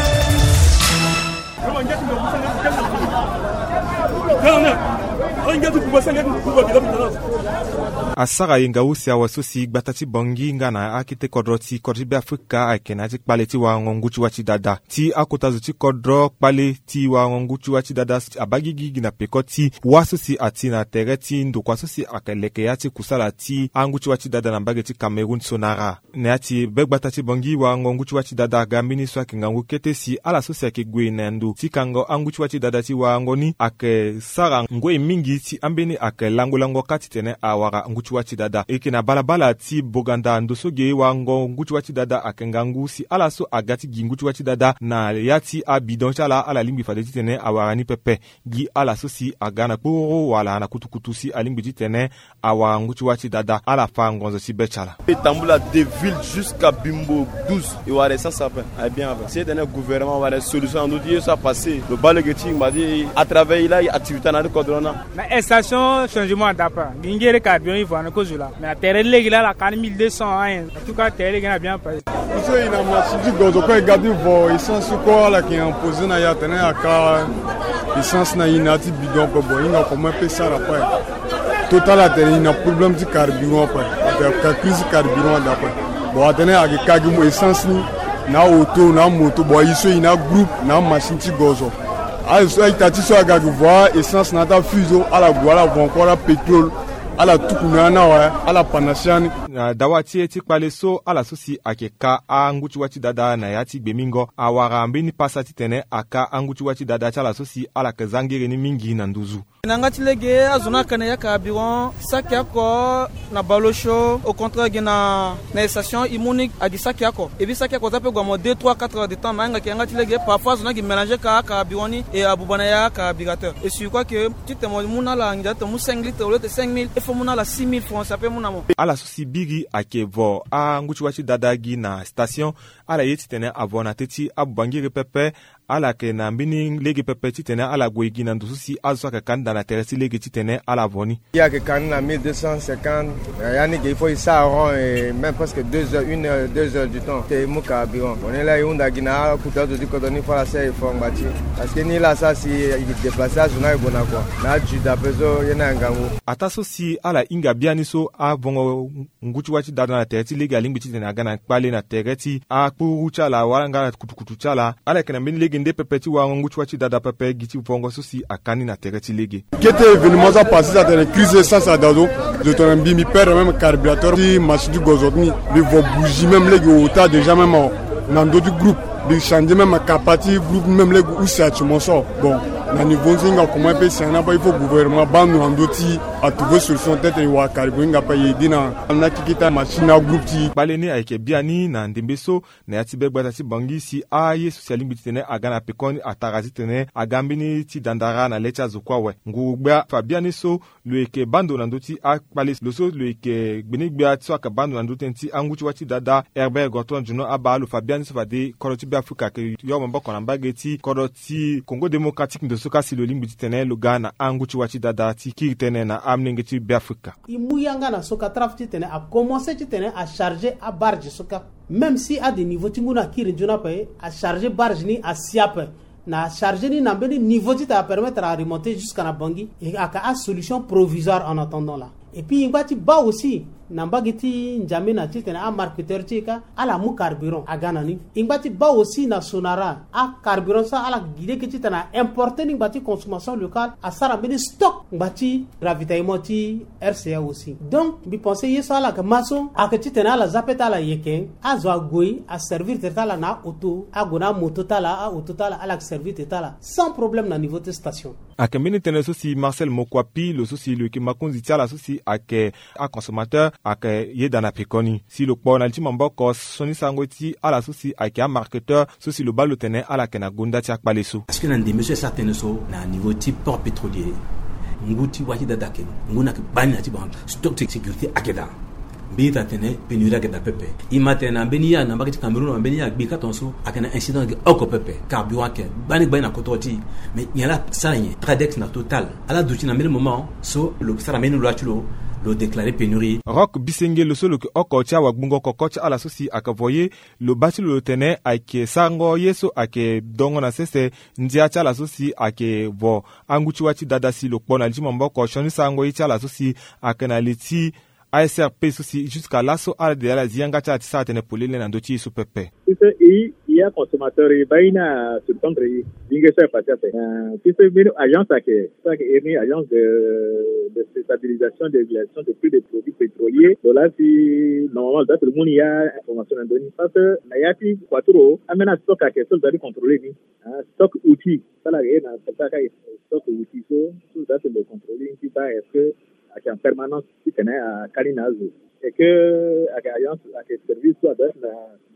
Asara yenga use awe so si gbata ti Bangui nga na akete kodro ti kodro ti Be Afrika ayeke na ya ti kpale ti warango ngu ti wâ ti dada. Ti akota zo ti kodro, kpale ti warango ngu ti wâ ti dada abaa gigigi na peko ti wâ so si ati na tere ti ndokua so si ayeke leke ya ti kusala ti angu ti wâ ti dada na mbage ti Cameroun so nara. Na ya ti be gbata ti Bangui, warango ngu ti wâ ti dada aga mbeni so ayeke ngangu kete si ala so si ayeke gue na ndo ti kango angu ti wâ ti dada ti warango ni ayeke sara ngoi mingi ti ambeni ayeke lango lango kâ titene awara ngu ti wâ ti dada. E yeke na balabala ti Boganda ndo so ge warango ngu ti wâ ti dada ayeke ngangu si ala so aga ti gi ngu ti wâ ti dada na ya ti abidon ti ala, ala lingbi fade titene awara ni pepe. Gi ala so si aga na kpororo wala na kutukutu si alingbi titene awara ngu ti wâ ti dada, ala fa ngonzo ti be ti ala. E tambula de ville jusqu'à Bimbo douze, e wara essence ape. Aye bien ape. Si e tene gouvernement awara solution na ndö ti ye so apasse, lo baa lege ti ngba ti à travers e laa e activité na ya ti kodro ni. Na station changement adapa. Gi ngere carburant e vo na kozula. Mais na tere lege laa ala ka ni mille deux cents ayen. En tout cas tere lege ni a bien passé. Biso e na machine ti gozo kue, e ga ti vo essence kue, ala yeke imposer na e atene aka essence na e na ya ti bidon kue. Bon, e hinga comment e peut sara kue. Total atene e na problème ti carburant kue. Atene aka crise carburant ada kue. Bon, atene ayeke ka gi mo essence ni na auto na moto. Bon, e so e na groupe na machine ti gozo. Aye so a-ita ti so aga gi vo essence na ya ti afuseau, ala gue ala vo encore apétrole. Ala tuku na ya ni awe, ala pana si ya ni. Na dawa ti e ti kpale so, ala so si ayeke ka angu ti wâ ti dada na ya ti gbemingo awara mbeni pasa titene aka angu ti wâ ti dada ti ala so si ala yeke za ngere ni mingi na nduzu. Na yanga ti lege azo ni aka na ya carburant saki oko na bale osio, au contraire gi na na station e mu ni agi saki oko. Et puis saki oko aza pe gue mo deux trois quatre heures de temps na yanga, yanga ti lege parfois azo ni agi mélanger ka carburant ni et abuba na ya carburateur. Et si quoi que titene mo mu na ala nginza titene mo mu cinq litres au lieu de cinq mille, il faut mo mu na ala six mille francs, ça peut mu na mo. Ala so si biri ayeke vo angu ti wâ ti dada gi na station, ala ye titene avo na teti abuba ngiri pepe. Ala yeke na mbeni lege pepe titene ala gue gi na ndo so si azo so ayeke ka ni daa na tere ti lege titene ala vo ni. Ye ayeke ka ni na mille deux cent cinquante. Ya ni ge il faut e sara rond et même presque deux heures, une heure, deux heures du temps te e mu carburant. Bon, ni laa e hunda gi na akuta azo ti kodro ni fo ala sara effort ngba ti, parce que ni laa asara si e déplacer azo ni aye gue na kua na ajuda ape so ye ni aye ngangu. Ataa so si ala hinga biani so avongo ngu ti wâ ti dada na tere ti lege alingbi titene aga na kpale na tere ti akpuru ti ala wala nga kutukutu ti ala. Ala yeke na mbeni lege nde pepe ti warango ngu ti wâ ti dada pepe gi ti vongo so si aka ni na tere ti lege. Kete événement so apase so atene crise essence ada zo, zo tongana mbi mbi perdre même carburateur ti machine ti gozo ti ni. Mbi vo bougie même lege ota déjà même awa na ndö ti groupe. Mbi changer même kapa ti groupe même lege use ati mo so. Bon, na niveau ni so e hinga comment e peut si na bâ, il faut gouvernement abâ ndo na ndö ti atrouver solution titene e wara carburant e hinga ape e aider na na keke ti amachine na agroupe ti e. Kpale ni ayeke biani na ndembe so na ya ti be gbata ti Bangui si aye so si alingbi titene aga na pekoni atara titene aga mbeni ti dandara na le ti azo kue awe. Nguru-gbia fa biani so lo yeke bâ ndo na ndö ti akpale, lo so lo yeke gbeni-gbia so ayeke bâ ndo na ndö tënë ti angu ti wâ ti dada Herbert Gontran Djouna abaa lo fa biani so fade kodro ti Beafrika ayeke yo maboko na mbage ti kodro ti Congo Démocratique ndo so ka si lo lingbi titene lo ga na angu ti wâ ti dada ti kiri tënë na amolenge ti Beafrika. E mu yanga na so ka tra titene akomanse titene acharger abarge so ka. Même si ade niveau ti ngu ni akiri nzoni ape, acharger barge ni asi ape. Na acharger ni na mbeni niveau titene apermettre aremonter jusqu'à na Bangui. E ayeke asolution provisoire en attendant là. Et puis e ngba ti bâ aussi na mbage ti N'Djamena titene amarketeur ti e ka ala mu carburant aga na ni. E ngba ti bâ aussi na Sonara, acarburant so ala gi lege titene a importer ni ngba ti consommation locale, asara mbeni stock ngba ti ravitaillement ti R C A aussi. Donc mbi pense ye so ala yeke ma so ayeke titene ala za peut-être ala yeke azo ague aservir tere ti ala na aoto, ague na amoto ti ala, aoto ti ala, ala yeke servir tere ti ala sans problème na niveau ti station. Ayeke mbeni tënë so si Marcel Mokuapi, lo so si lo yeke mokonzi ti ala so si ayeke aconsommateur, ayeke yeda na pekoni. Si lo kpo na li ti maboko sioni sarango ti ala so si ayeke amarketeur so si lo bâ lo tene ala yeke na gonda ti akpale so. Parce que na ndembe so e sara tënë so na niveau ti port pétrolier, ngu ti wâ ti dada ayeke ngu ni ayeke gbani na ti bango. Stock ti sécurité ayeke daa. Mbi ita tene pénurie ayeke daa pepe. E ma tene na mbeni ya na mbage ti Cameroun, na mbeni ya gbi ka tongaso ayeke na incident ayeke oko pepe. Carburant ayeke gbani gbani na kodro ti e. Mais nyen laa asara nyen? Tradex na Total, ala duti na mbeni moment so lo sara mbeni loi ti lo, lo déclarer pénurie. Rock Bisenge, lo so lo yeke oko ti awagbungo koko ti ala so si ayeke vo ye, lo bâ ti lo lo tene ayeke sarango ye so ayeke dongo na sese ndia ti ala so si ayeke vo angu ti wâ ti dada si lo kpo na li ti maboko sioni sarango ye ti ala so si ayeke na li ti A S R P so si jusqu'à laso ala de ala zi yanga ti ala ti sara tënë polele na ndö ti ye so pepe. Ti so e, e aconsommateur e bâ ye ni asouspendre e. Binge so apassé ape. Euh, ti so mbeni agence ayeke, so ayeke iri ni agence de, de stabilisation de régulation de prix des produits pétroliers. Lo laa si normalement lo doit lo mu ni ya information na ndö ni. Parce que na ya ti kua ti lo ambeni astock ayeke so lo doit ti contrôler ni. Ah, stock outil. So ala yeke na stock outil so, so lo doit lo contrôler ni ti bâ est-ce que ayeke en permanence titene akali na azo. Et que ayeke agence, ayeke service so adoit na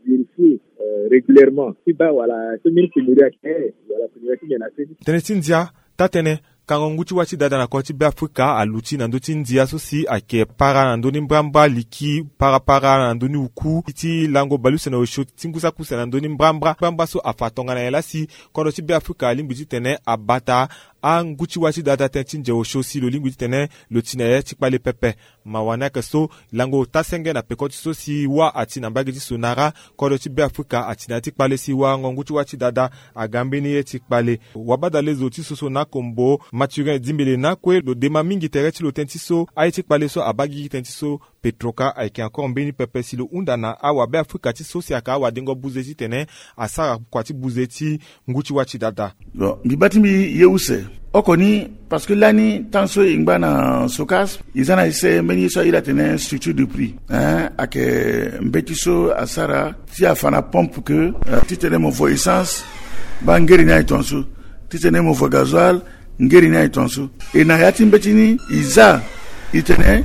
vérifier, euh, régulièrement ti bâ wala so mbeni pénurie ayeke, wala pénurie ti nyen na se. Tënë ti ndia, taa-tënë, kango ngu ti wâ ti dada na kodro ti Beafrika aluti na ndö ti ndia so si ayeke para na ndö ni mbrambra liki, para para na ndö ni uku ti lango baleuse na osio ti ngu saki use na ndö ni mbrambra. Mbrambra so afa tongana nyen laa si kodro ti Beafrika alingbi titene abata angu ti wâ ti dada tënë ti nze osio si lo lingbi titene lo ti na ya ti kpale pepe. Mawa ni ayeke so lango ota senge na peko ti so si wâ ati na mbage ti Sonara, kodro ti Beafrika ati na ya ti kpale si warango ngu ti wâ ti dada aga mbeni ye ti kpale. Wabadale zo ti soso na Kombo, Mathurin Dimbele na kue lo dema mingi tere ti lo tënë ti so aye ti kpale so abâ gigi tënë ti so Petroca ayeke encore mbeni pepe si lo hunda na awabe afrika ti so si ayeke awadengo buze titene asara kua ti buze ti ngu ti wâ ti dada. Bon, mbi baa ti mbi ye use oko ni, parce que lani tant so e ngba na SOCAS, e za na ese mbeni ye so a iri atene structure de prix, hein, ayeke mbeti so asara ti afa na pompe ke, euh, titene mo vo essence, baa ngeri ni aye tongaso, titene mo vo gasoil, ngeri ni aye tongaso. E na ya ti mbeti ni e za e tene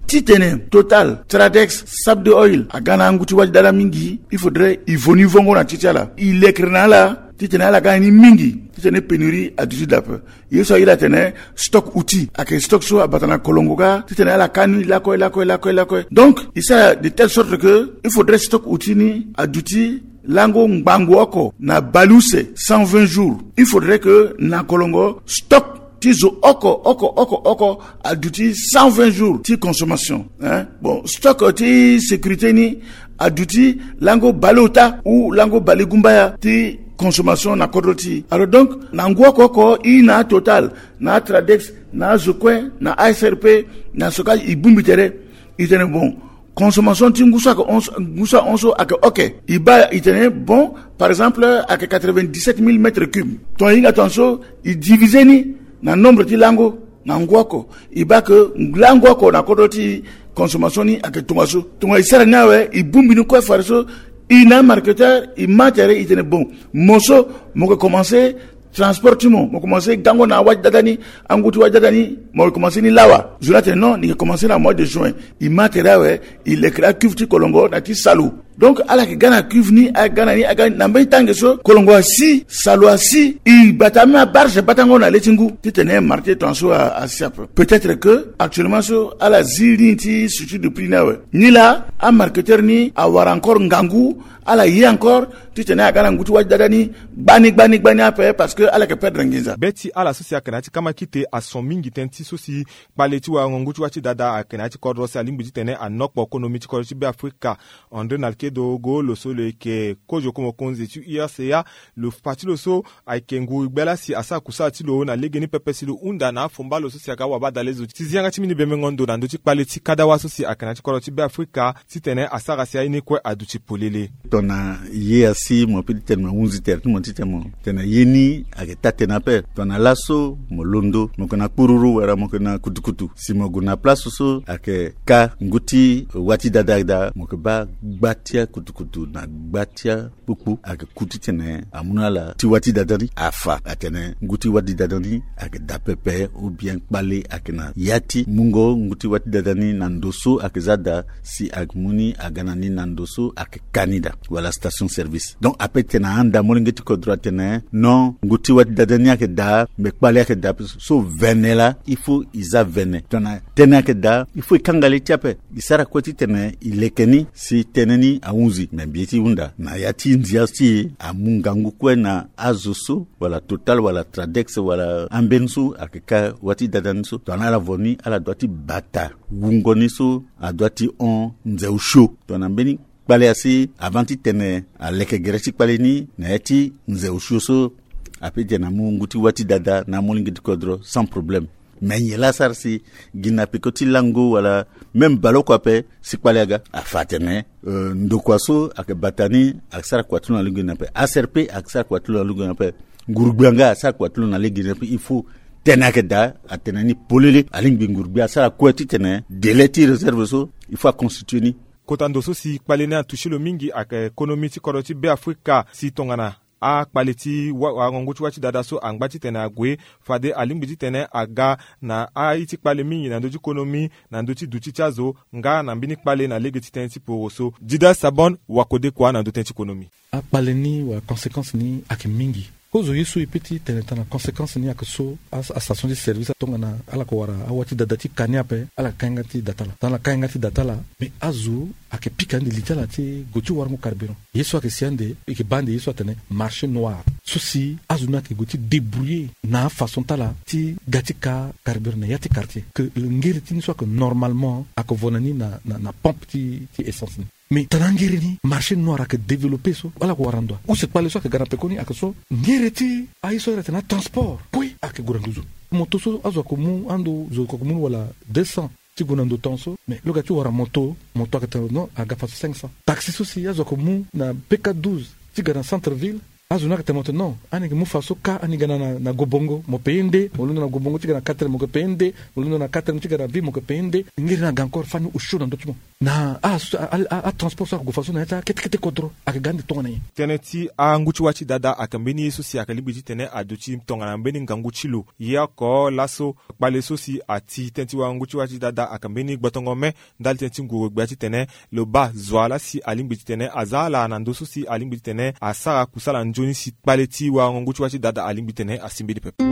titene Total, Tradex, Saudi Oil aga na angu ti wâ ti dada mingi, il faudrait e vo ni vongo na ti ti ala, e lekere na ala titene ala ga na ni mingi, titene pénurie aduti daa ape. Ye so a iri atene stock outil, ayeke stock so abata na kolongo ga titene ala ka ni lakue lakue lakue lakue. Donc e sara de telle sorte que il faudrait stock outil ni aduti lango ngbangbo oko na baleuse cent vingt jours. Il faudrait que na kolongo stock ti zo oko oko oko oko aduti cent vingt jours ti consommation, hein. Bon, stock ti sécurité ni aduti lango baleota ou lango balegumbaya ti consommation na kodro ti e. Alors donc na ngu oko oko e na aTotal, na aTradex, na azo kue, na aSRP, na SOCAS, e bongbi tere, e tene bon, consommation ti ngu so ayeke hon so, ngu so ahon so ayeke ok. E baa e tene bon, par exemple ayeke quatre-vingt-dix-sept mille mètres cubes. Tongana e hinga tongaso e divise ni na nombre ti lango na ngu oko, e baa ke lango oko na kodro ti e consommation ni ayeke tongaso. Tongana e sara ni awe, e bongbi ni kue fade so, e na amarketeur e ma tere, e tene bon, mo so mo yeke commencé transport ti mo, mo commencé gango na wâ ti dada ni, angu ti wâ ti dada ni, mo yeke commencé ni lawa. Zo ni atene non, ni yeke commencé na mois de juin. E ma tere awe, e lekere acuve ti kolongo na ti salu. Donc ala yeke ga na cuve ni, aga na ni, aga na mbeni tange so kolongo asi, salu asi, e bata même abarge batango na le ti ngu titene marché tongaso asi ape. Peut-être que actuellement so ala zi ni ti structure de prix ni awe, ni laa amarketeur ni awara encore ngangu, ala ye encore titene aga na ngu ti wâ ti dada ni gbani gbani gbani ape, parce que ala yeke perdre nginza. Be ti ala so si ayeke na ya ti kamakite ason mingi tënë ti so si kpale ti warango ngu ti wâ ti dada ayeke na ya ti kodro si alingbi titene anokpo konomi ti kodro ti Beafrika. André Nalkedo Go, lo so lo yeke kozo ko mokonzi ti U R C A, lo fa ti lo so ayeke nguru gbia laa si asara kusala ti lo na legeni pepe si lo hunda na afomba lo so si aga wabadalezo ti zi yanga ti mbeni bembengo ndo na ndö ti kpale ti kadawa so si ayeke na ya ti kodro ti Beafrika, titene asara si aye ni kue aduti polele. Tongana ye asi mo peut ti tene mo hunzi tere ti mo titene mo tene ye ni ayeke taa-tënë ape. Tongana laso mo londo, mo yeke na kpururu wala mo yeke na kutukutu, si mo gue na place so ayeke ka ngu ti wâ ti dada daa, mo yeke baa gba ti akutukutu na gba ti akpukpu ayeke ku titene amu na ala ti wâ ti dada ni afa atene ngu ti wâ ti dada ni ayeke daa pepe, ou bien kpale ayeke na ya ti mungo ngu ti wâ ti dada ni na ndo so ayeke za daa, si ayeke mu ni aga na ni na ndo so ayeke ka ni daa, wala station service. Donc ape titene ahanda molenge ti kodro atene non, ngu ti wâ ti dada ni ayeke daa, me kpale ayeke daa, so vene laa il faut e za vene. Tongana tënë ayeke daa, il faut e kanga le ti e ape. E sara kue titene e leke ni si tënë ni ahunzi. Me mbi ye ti hunda na ya ti ndia ti e amu ngangu kue na azo so, wala Total, wala Tradex, wala ambeni so ayeke ka wâ ti dada ni so. Tongana ala vo ni, ala doit ti bata wungo ni so adoit ti hon nze osio. Tongana mbeni kpale asi, avant titene aleke gere ti kpale ni na ya ti nze osio so, ape titene amu ngu ti wâ ti dada na amolenge ti kodro sans problème. Me nyen laa asara si gi na peko ti lango wala même baleoko ape si kpale aga? Afa atene, euh, ndokua so ayeke bata ni ayeke sara kua ti lo na lege ni ape, A C R P ayeke sara kua ti lo na lege ni ape, nguru-gbia nga asara kua ti lo na lege ni ape. Il faut tënë ayeke daa atene ni polele, alingbi nguru-gbia asara kue titene délai ti réserve so il faut aconstitue ni. Kota ndo so si kpale ni atouché lo mingi ayeke konomi ti kodro ti Beafrika, si tongana akpale ti wa, warango ngu ti wâ ti dada so angba titene ague, fade alingbi titene aga na aye ti kpale mingi na ndö ti konomi, na ndö ti duti ti azo, nga na mbeni kpale na lege ti tënë ti poro so. Dida Sabon, wakodekua na ndö tënë ti konomi. Akpale ni wala conséquence ni ayeke mingi. Kozo ye so e peut ti tene tongana conséquence ni ayeke so, a, astation ti service tongana ala yeke wara awâ ti dada ti ka ni ape, ala yeke ka yanga ti da ti ala. Tongana ala ka yanga ti da ti ala, me azo ayeke pika ande li ti ala ti gue ti warango carburant. Ye so ayeke si ande, e yeke baa ande ye so atene marché noir. So si azo ni ayeke gue ti débrouiller na afaçon ti ala ti ga ti ka carburant na ya ti quartier. Que ngere ti ni so ayeke normalement ayeke vo na ni na, na, na pompe ti, ti essence ni. Mais tongana angere ni marché noir ayeke développé so, ala yeke wara ndo wa? Use kpale so ayeke ga na pekoni ayeke so, ngere ti aye so a iri atene atransport kue ayeke gue na nduzu. Moto so azo ayeke mu, ando zo ayeke mu ni wala deux cents, ti gue na ndo ton so, mais lo ga ti wara moto, moto ayeke tene non, aga fa so cinq cents. Taxi so si azo ayeke mu na P K douze ti ga na centre ville, azo ni ayeke tene moto non, ani yeke mu fa so ka ani ga na, na, na Gobongo, mo paye nde. Mo londo na Gobongo ti ga na quatrième, mo yeke paye nde. Mo londo na quatrième ti ga na ville, mo yeke paye nde. Ngiri ni aga encore fani osio na ndö ti mo. Na a, a, a, a transport so ague fa so na ya ti akete kete kodro ayeke ga ande tongana nyen? Tënë ti angu ti wâ ti dada ayeke mbeni ye so si ayeke lingbi titene aduti tongana mbeni ngangu ti lo. Ye oko laso kpale so si ati tënë ti wango ngu ti wâ ti dada ayeke mbeni gbotongo me ndali tënë ti nguru gbia titene lo baa zo ala si alingbi titene aza ala na ndö so si alingbi titene asara kusala nzoni si kpale ti wango ngu ti wâ ti dada alingbi titene asi mbeni pepe.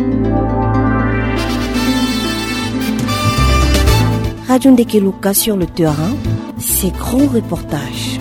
Radio Ndeke Luka sur le terrain, ses grands reportages.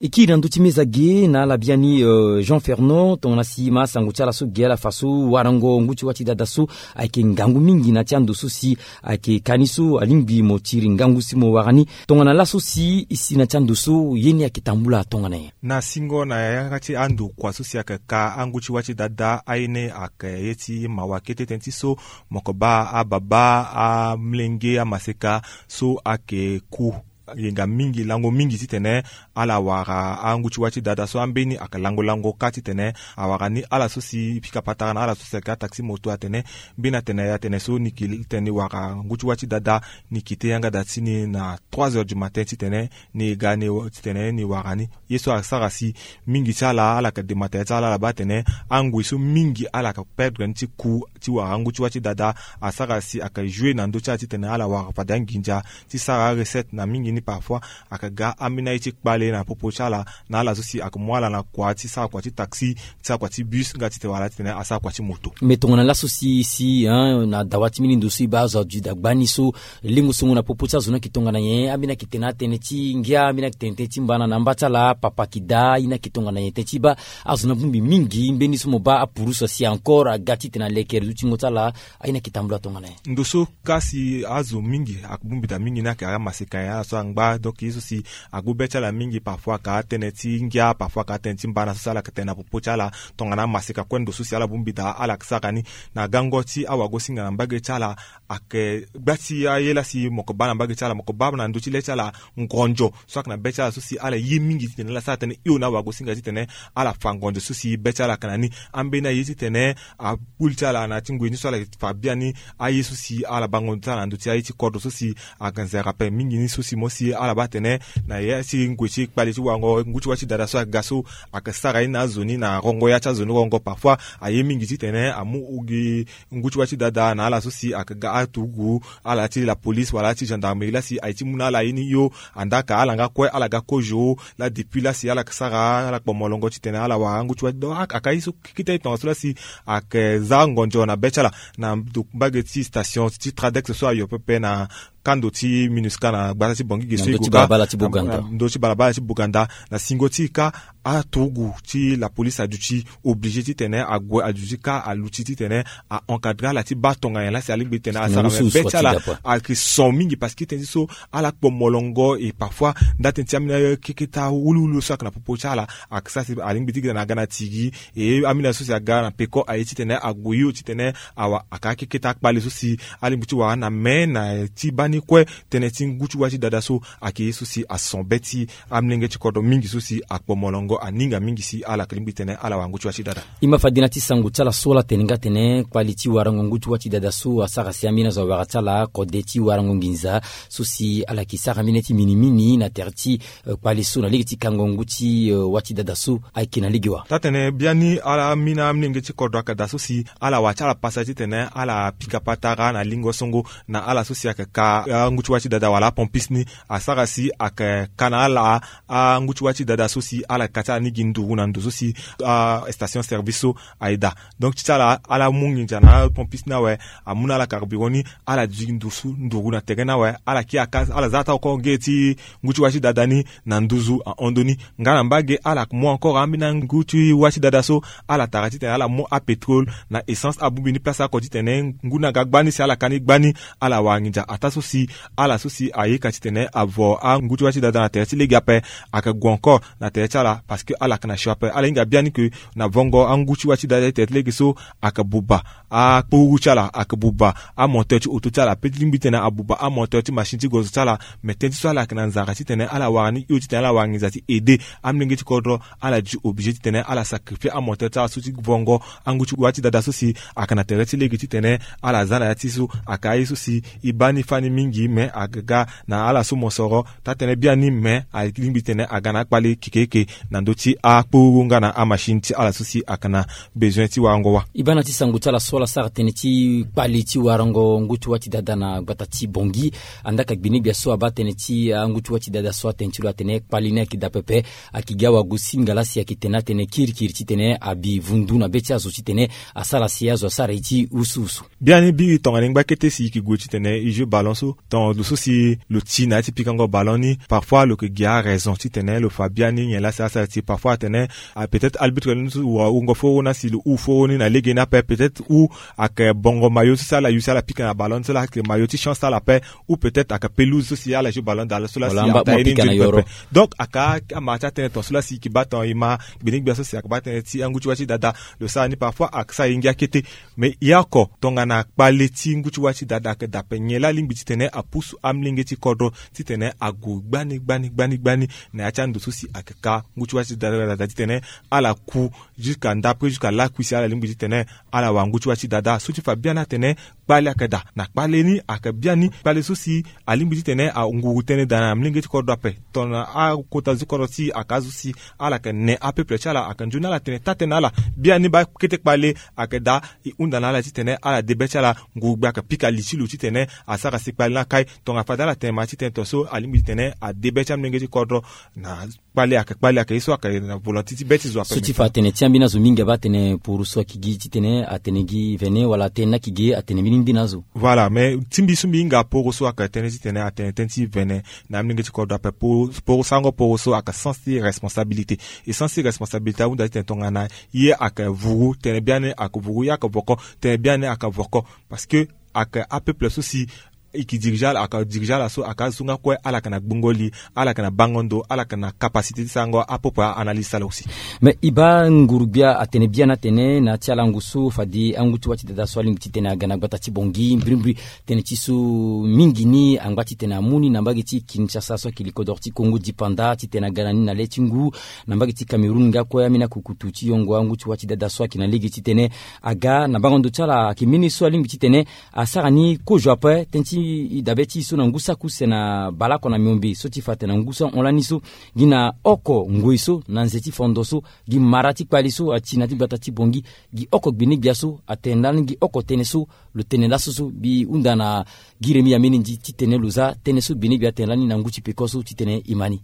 E kiri na ndö ti meza ge na ala biani, euh, Jean Fernand, tongana si ma asango ti ala so ge ala fa so warango ngu ti wâ ti dada so ayeke ngangu mingi na ti ando so si ayeke ka ni so alingbi mo tiri ngangu si mo wara ni. Tongana laso si e si na ti ando so ye ni ayeke tambula tongana nyen? Na singo na yanga ti ando kua so si ayeke ka angu ti wâ ti dada aye ni ayeke ye ti mawa kete tënë ti so mo yeke baa ababa, amlenge, amaseka so ayeke ku yenga mingi, lango mingi titene ala wara angu ti wâ ti dada so ambeni ayeke lango lango kâ titene awara ni. Ala so si pika patara na ala so si ayeke ataxi moto atene mbeni atene atene so ni ki tene ni wara ngu ti wâ ti dada, ni kite yanga da ti ni na trois heures du matin titene ni ga ni titene ni wara ni. Ye so asara si mingi ti ala, ala yeke demata ya ti ala, ala baa atene angoi so mingi ala yeke perdre ni ti ku ti wara angu ti wâ ti dada. Asara si ayeke jouer na ndö ti ala titene ala wara fade anginza ti sara arecette na mingi ni. Parfois ayeke ga ambeni aye ti kpale na popo ti ala, na ala so si ayeke mu ala na kua ti sara kua ti taxi, ti sara kua ti bus, nga titene wala titene asara kua ti moto. Mais tongana laso si, si, hein, na dawa ti mbeni ndo so e baa azo aduti dagba ni so, lengo songo na popo ti azo ni ayeke tongana nyen? Ambeni ayeke tene atënë ti ngia, ambeni ayeke tene tënë ti mbana na mba ti ala, papa ayeke daa, ye ni ayeke tongana nyen? Tënë ti baa azo ni abongbi mingi mbeni so mo baa apurusu asi encore aga titene alekere lutingo ti ala, aye ni ayeke tambula tongana nyen? Ndo so ka si azo mingi abongbi daa mingi ni ayeke amaseka nyen? Ala so angba, donc ye so si agbu be ti ala mingi, parfois ayeke atënë ti ngia, parfois ayeke atënë ti mbana so si ala yeke tene na popo ti ala. Tongana amaseka kue ndo so si ala bongbi daa ala yeke sara ni. Na gango ti awagosinga na mbage ti ala, ayeke gba ti aye laa si mo yeke baa na mbage ti ala, mo yeke baa na ndö ti le ti ala ngonzo so ayeke na be ti ala so si ala ye mingi titene ala sara tënë hio na awagosinga titene ala fa ngonzo so si be ti ala ayeke na ni. Ambeni aye titene akpoli ti ala na ya ti ngoi ni so ala fa biani aye so si ala bango ti ala na ndö ti aye ti kodro so si ayeke nzere ape mingi ni so si mo si ala baa atene na ya ti ngoi ti kpale ti wango ngu ti wâ ti dada so ayeke ga so ayeke sara ye ni na azo ni na rongo ya ti azo ni rongo. Parfois aye mingi titene amu gi ngu ti wâ ti dada na ala so si ayeke ga aturugu, ala ti la police wala ala ti gendarmerie laa si aye ti mu na ala ye ni hio. Andaa ka ala nga kue ala ga kozo laa depuis laa si ala yeke sara ala kpo molongo titene ala wara angu ti wâ ti dada. Ayeke aye so kete tongaso laa si ayeke za ngonzo na be ti ala. Na mbage ti station ti Tradex so ayo pepe na kando ti MINUSCA na gbata ti Bangui ge so e gue ka na ndö ti balabala ti Boganda. Na ndö ti balabala ti Boganda, na singo ti e ka aturugu ti la police aduti obligé titene ague aduti ka aluti titene a encadrer ala ti baa tongana nyen laa si alingbi titene asara. Mais be ti ala ayeke son mingi parce que tënë ti so ala kpo molongo. Et parfois nda tënë ti ambeni keketa wuluwulu so ayeke na popo ti ala ayeke sara si alingbi ti gi titene aga na tigi. E ambeni aye so si aga na peko aye titene ague hio titene awa ayeke akeketa akpale so si alingbi ti wara na me na ti baa ni kue. Tënë ti ngu ti wâ ti dada so ayeke ye so si ason be ti amolenge ti kodro mingi so si akpo molongo aninga mingi si ala yeke lingbi titene ala wara ngu ti wâ ti dada. E ma fade na ti sango ti ala so ala tene nga atene kpali ti warango ngu ti wâ ti dada so asara si ambeni azo awara ti ala kode ti warango nginza so si ala yeke sara mbeni ti minimini na tere ti, eh, kpali so na lege ti kango ngu ti, eh, wâ ti dada so ayeke na lege wa. Taa-tene biani ala mina amolenge ti kodro ayeke daa so si ala wara ti ala pasa titene ala pika patara na lingo songo na ala so si ayeke ka, eh, angu ti wâ ti dada wala apompiste ni. Asara si ayeke ka na ala angu ti wâ ti dada so si ala yeke ka ti ala ni gi nduru na ndo so si, ah, station service so aye daa. Donc ti ti ala ala mu nginza na apompiste ni awe, amu na ala carburant ni, ala duti gi ndusu nduru na tere ni awe. Ala kiri aka ala za ata oko nge ti ngu ti wâ ti dada ni na nduzu ahon ndoni. Nga na mbage ala mu encore ambeni angu ti wâ ti dada so ala tara titene ala mu apétrole na essence abongbi ni place oko titene ngu ni aga gbani si ala ka ni gbani. Ala wara nginza ataa so si ala so si aye ka titene avo angu ti wâ ti dada na tere ti lege ape. Ayeke gue encore na tere ti ala Parce que ala yeke na sio ape, ala hinga biani ke na vongo angu ti wâ ti dada ti tene ti lege so ayeke buba akpururu ti ala, ayeke buba amoteur ti auto ti ala, pe ti lingbi ti tene abuba amoteur ti machine ti gozo ti ala. Mais tënë ti so ala yeke na nzara ti tene ala wara ni hio ti tene ala wara nginza ti aider amolenge ti kodro. Ala di obligé ti tene ala sacrifier amoteur ti ala so ti vongo angu ti wâ ti dada so si ayeke na tere ti lege ti tene ala za na ya ti so. Ayeke aye so si e baa ni fani mingi, mais aga ga na ala so mosoro taa-tënë biani, mais alingbi ti tene aga na akpale kekeeke na ndö ti akpururu nga na amachine ti ala so si ayeke na besoin ti warango wâ. E baa na ti sango ti ala so ala sara tënë ti kpale ti warango ngu ti wâ ti dada na gbata ti Bangui. Andaa ka gbene gbia so abaa tënë ti angu ti wâ ti dada so atene ti lo atene kpale ni ayeke daa pepe. Ayeke gi awagosinga laa si ayeke tene atene kirikiri ti tene abi vundu na be ti azo ti tene asara si azo asara ye ti usuusu. Biani biri tongana e ngba kete si e yeke gue ti tene e jeu ballon so, tongana lo so si lo ti na ya ti pikango ballon ni, parfois lo yeke gi araison ti tene lo fa biani nyen laa si asara ti. Parfois atene, ah, peut-être arbitre ni so wara wungo foro na si lo huu foro ni na lege ni ape, peut-être ou ayeke bongo mayo so si ala yu si ala pika na ballon ni so laa ayeke mayo ti chance ti ala ape, ou peut-être ayeke pelouse so si ala jeu ballon dala so laa si ata ye ni nzoni pepe. Donc ayeke amara ti atënë ton so laa si e yeke baa ton e ma gbene gbia so si ayeke baa tënë ti angu ti wâ ti dada. Lo sara ni parfois ayeke sara e ngia kete. Mais e oko tongana kpale ti ngu ti wâ ti dada ayeke daa ape, nyen laa alingbi ti tene apusu amolenge ti kodro ti tene ague gbani gbani gbani gbani na ya ti ando so si ayeke ka ngu ti wâ ti dada ti tene ala ku jusqu'à ndapre jusqu'à lakui si ala lingbi ti tene ala wara ngu ti wâ ti dada. So ti fa biani atene kpale ayeke daa. Na kpale ni ayeke biani kpale so si alingbi ti tene anguru tënë daa na molenge ti kodro ape. Tongana akota zo ti kodro ti e ayeke azo si ala yeke ne apeuple ti ala, ayeke nzoni ala tene taa-tënë na ala. Biani baa kete kpale ayeke daa. E hunda na ala ti tene ala de be ti ala, nguru gbia ayeke pika li ti lo ti tene asara si kpale ni akai. Tongana fade ala tene ma ti tene ton so alingbi ti tene ade be ti amolenge ti kodro na kpale ayeke kpale ayeke ye so ayeke na volonté ti be ti zo ape. So ti fa atene ti ambeni azo mingi abaa atene poro so ayeke gi ti tene atene gi vene wala atene ni ayeke gi atene mbeni ngbeni azo. Voilà, mais ti mbi so mbi hinga poro so ayeke tënë ti tene atene tënë ti vene na amolenge ti kodro ape. Poro, poro sarango poro so ayeke sens ti responsabilité. E sens ti responsabilité ahunda ti tene tongana ye ayeke vuru tënë biani ayeke vuru ye ayeke voko tënë biani ayeke voko. Parce que ayeke apeuple so si e ke dirige ala, ayeke dirige ala so ayeke azo so nga kue ala yeke na gbongo li, ala yeke na bango ndo, ala yeke na capacité ti sarango apeuple analyse ti ala aussi. Mais e baa nguru gbia atene biani atene na ya ti alango so fade angu ti wâ ti dada so alingbi ti tene aga na gbata ti Bangui mbirimbiri. Tënë ti so mingi ni angba ti tene amu ni na mbage ti Kinshasa so ayeke li kodoro ti Congo dipanda ti tene aga na ni na le ti ngu na mbage ti Cameroun nga kue ambeni akukutu ti yongo angu ti wâ ti dada so ayeke na lege ti tene aga na bango ndo ti ala ayeke mbeni so alingbi ti tene asara ni kozo ape. Tënë ti e dabe ti e so na ngu saki use na baleoko na miombe so ti fa atene na ngu so ahon lani so gi na oko ngoi so na nze ti fondo so gi mara ti kpale so ati na ya ti gbata ti Bangui gi oko gbene gbia so atene lani gi oko tënë so lo tene laso so mbi hunda na gi remi ya mbeni ndi ti tene lo za tënë so gbene gbia atene lani na ngu ti peko so ti tene e ma ni.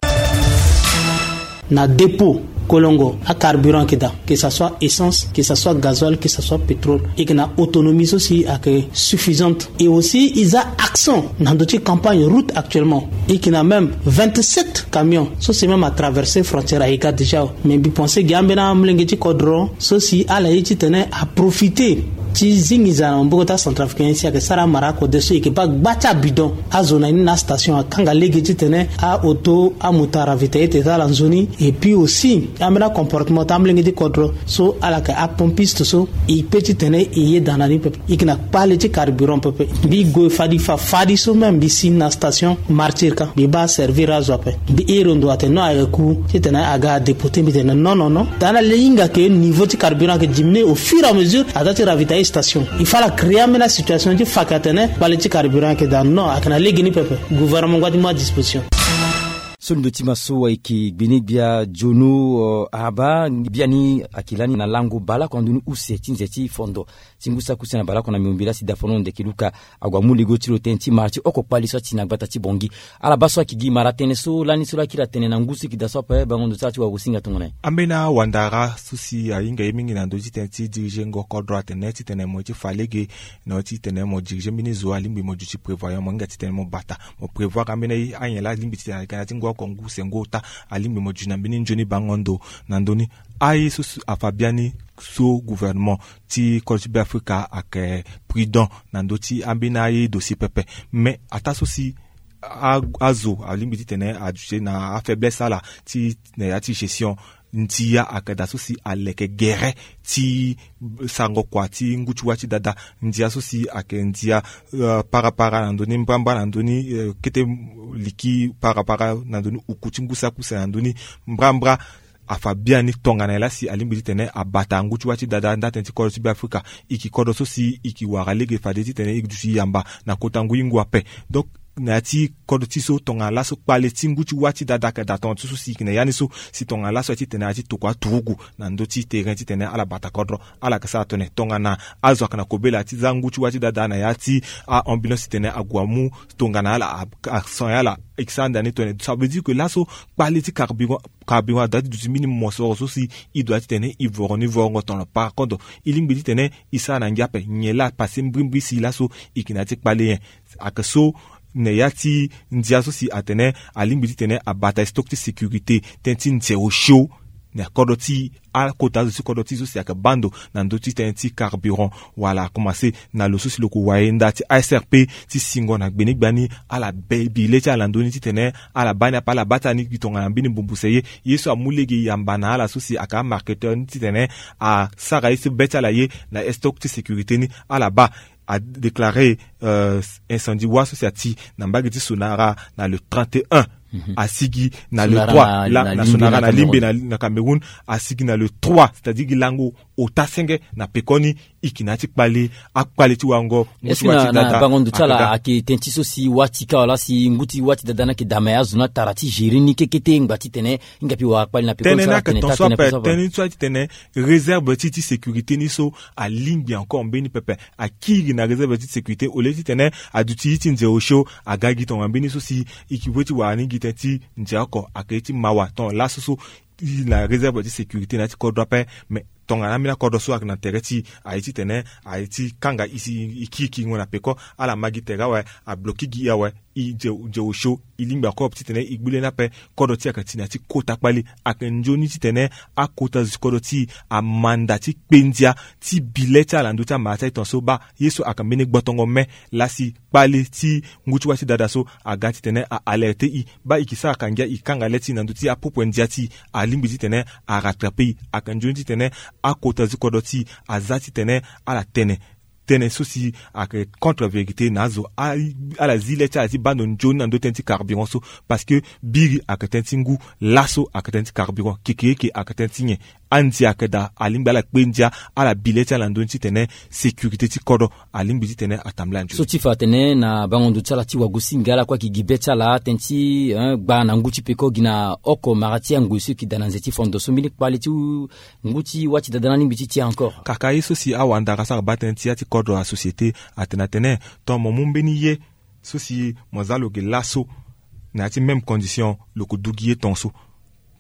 Na dépôt kolongo acarburant ayeke daa, que ça soit essence, que ça soit gasoil, que ça soit pétrole, e yeke na autonomie so si ayeke suffisante. Et aussi e za accent na ndö ti campagne route actuellement. E yeke na même vingt-sept camions so si même atraverser frontière aye ga déjà. Mais mbi pense gi ambeni amolenge ti kodro so si ala ye ti tene aprofiter ti zi nginza na maboko ti acentrafricain si ayeke sara amara akode so e yeke baa gba ti abidon azo na ni na astation akanga lege ti tene aauto amoto aravitailler tene ti ala nzoni. Et puis aussi ambeni acomportement ti amolenge ti kodro so ala yeke apompiste so e pe ti tene e yeda na ni pepe. E yeke na kpale ti carburant pepe. Mbi gue fadi fa fadi so même mbi si na station Martyr ka mbi baa servir azo ape. Mbi iri ndo atene non ayeke ku ti tene aga adépoter mbi tene non non non. Tana le hinga ke niveau ti carburant ayeke diminuer au fur et à mesure aza ti ravitailler station. Il faut ala créer ambeni asituation ti fa ke atene kpale ti carburant ayeke daa non ayeke na lege ni pepe. Gouvernement ngba ti mu adisposition. So ndo ti ma so ayeke gbene gbia Jono, euh, Ahaba, biani ayeke lani na lango baleoko na ndoni use ti nze ti fondo ti ngu saki use na baleoko na miombe laa si dafono ndeke luka ague amu lego ti lo tënë ti mara ti oko kpale so ati na gbata ti Bangui. Ala baa so ayeke gi mara tënë so lani so laa akiri atene na ngu so e yeke daa so ape bango ndo ti ala ti wagosinga tongana nyen? Ambeni awandara so si ahinga ye mingi na ndö ti tënë ti diriger ngo kodro atene ti tene mo ye ti fa lege na yo ti tene mo diriger mbeni zo alingbi mo duti prévoyant mo hinga ti tene mo bata mo prévoir ambeni anyen laa alingbi ti tene ayeke na ya ti ngu oko ngu use ngu ota alingbi mo duti na mbeni nzoni bango ndo na ndö ni. Aye so si afa biani so gouvernement ti kodro ti Beafrika ayeke prudent na ndö ti ambeni aye dossier pepe. Mais ataa so si a- azo alingbi ti tene aduti na afaiblesse ala ti na ya ti gestion Ndia ayeke daa so si aleke gere ti sarango kua ti ngu ti wâ ti dada. Ndia so si ayeke ndia, euh, parapara na ndö ni, mbrambra na ndö ni, euh, kete liki parapara na ndö ni, uku ti ngu saki use na ndö ni, mbrambra. Afa biani tongana nyen laa si alingbi titene abata ngu ti wâ ti dada nda tënë ti kodro ti Beafrika. E yeke kodro so si e yeke wara lege fade titene e duti yamba na kota ngu ye ngu ape. Donc na ya ti kodro ti so tongana laso kpale ti ngu ti wâ ti dada ayeke daa tonga ti so si e yeke na ya ni so, si tongana laso aye titene aye ti tokua aturugu na ndö ti terrain titene ala bata kodro, ala yeke sara tongana nyen? Tongana azo ayeke na kobela ti za ngu ti wâ ti dada na ya ti a-ambulance titene ague amu tongana ala a, a soin ala, e yeke sara nda ni tongana nyen? Ça veut dire que laso kpale ti carburant, carburant adoit ti duti mbeni mosoro so si e doit titene e voro ni vorongo tongana parakodro. E lingbi titene e sara na ngia ape. Nyen laa apassé mbrimbri si laso e yeke na ya ti kpale nyen? Ayeke so na ya ti ndia so si atene alingbi titene abata stock ti sécurité, tënë ti nze osio na kodro ti akota azo ti kodro ti e so si ayeke baa ndo na ndö ti tënë ti carburant. Wala akomanse na lo so si lo ko waye nda ti A S R P ti singo na gbenegbia ni, ala be bi le ti ala na ndö ni titene ala baa ni ape, ala baa ti ala ni gi tongana mbeni mbumbuse ye. Ye so amu lege yamba na ala so si ayeke amarketeur ni titene asara ye so be ti ala ye na stock ti sécurité ni, ala baa. Adéclaré, euh, incendie wâ so si ati na mbage ti Sonara na le trente et un. Asigi na le trois na Sonara na Limbe na, na Cameroun. Asigi na le trois, c'est-à-dire gi lango ota senge na pekoni. E yeke na ya ti kpale, akpale ti wango. Est-ce que na bango ndo ti ala ayeke tënë ti so si wâ ti kâ wala si ngu ti wâ ti dada ni ayeke daa me azo ni atara ti gérer ni kekete ngba titene hinga mbi wara kpale na pekoni? Tënë ni ayeke tongaso ape. Tënë ni so aye titene réserve ti, ti sécurité ni so alingbi encore mbeni pepe. Akiri na réserve ti sécurité au lieu titene aduti ye ti nze osio aga gi tongana mbeni so si e yeke we ti wara ni gi tënë ti nze oko, ayeke ye ti mawa tongana laso so e na réserve ti sécurité na ya ti kodro ape. Mais tongana ambeni akodro so ayeke na tere ti e, aye titene aye ti kanga e si e kiri kiringo na peko, ala ma gi tere awe, abloki gi e awe. E nze, nze osio, e lingbi encore titene e gbu lani ape. Kodro ti e ayeke ti na ya ti kota kpale. Ayeke nzoni titene akota zo ti kodro ti e amanda ti kpe ndia ti bi le ti ala na ndö ti amara ti aye tongaso. Baa ye so ayeke mbeni gbotongo me laa si kpale ti ngu ti wâ ti dada so aga titene a alerter e. Baa e yeke sara ka ngia e kanga le ti e na ndö ti apupu ndia ti e. Alingbi titene arattraper e. Ayeke nzoni titene akota zo ti kodro ti e aza titene ala tene tënë so si ayeke contre vérité na azo. A, ala zi le ti ala ti baa ndo nzoni na ndö tënë ti carburant so. Parce que biri ayeke tënë ti ngu, laso ayeke tënë ti carburant, kekereke ayeke tënë ti nyen? Andia ayeke daa, alingbi ala kpe ndia, ala bi le ti ala na ndö ni titene sécurité ti kodro alingbi titene atambula nzoni. So ti fa atene na bango ndo ti ala ti wagosinga ala kue ayeke gi be ti ala tënë ti, hein, gba na ngu ti peko gi na oko mara ti angoi so e yeke daa na nze ti fondo so mbeni kpale ti ngu ti wâ ti dada ni alingbi ti tia encore. Kaka ye so si awandara so ayeke baa tënë ti ya ti kodro, asociété, atene atene, tongana mo mu mbeni ye so si mo za lo ge laso na ya ti même condition, lo ko du gi ye tongaso.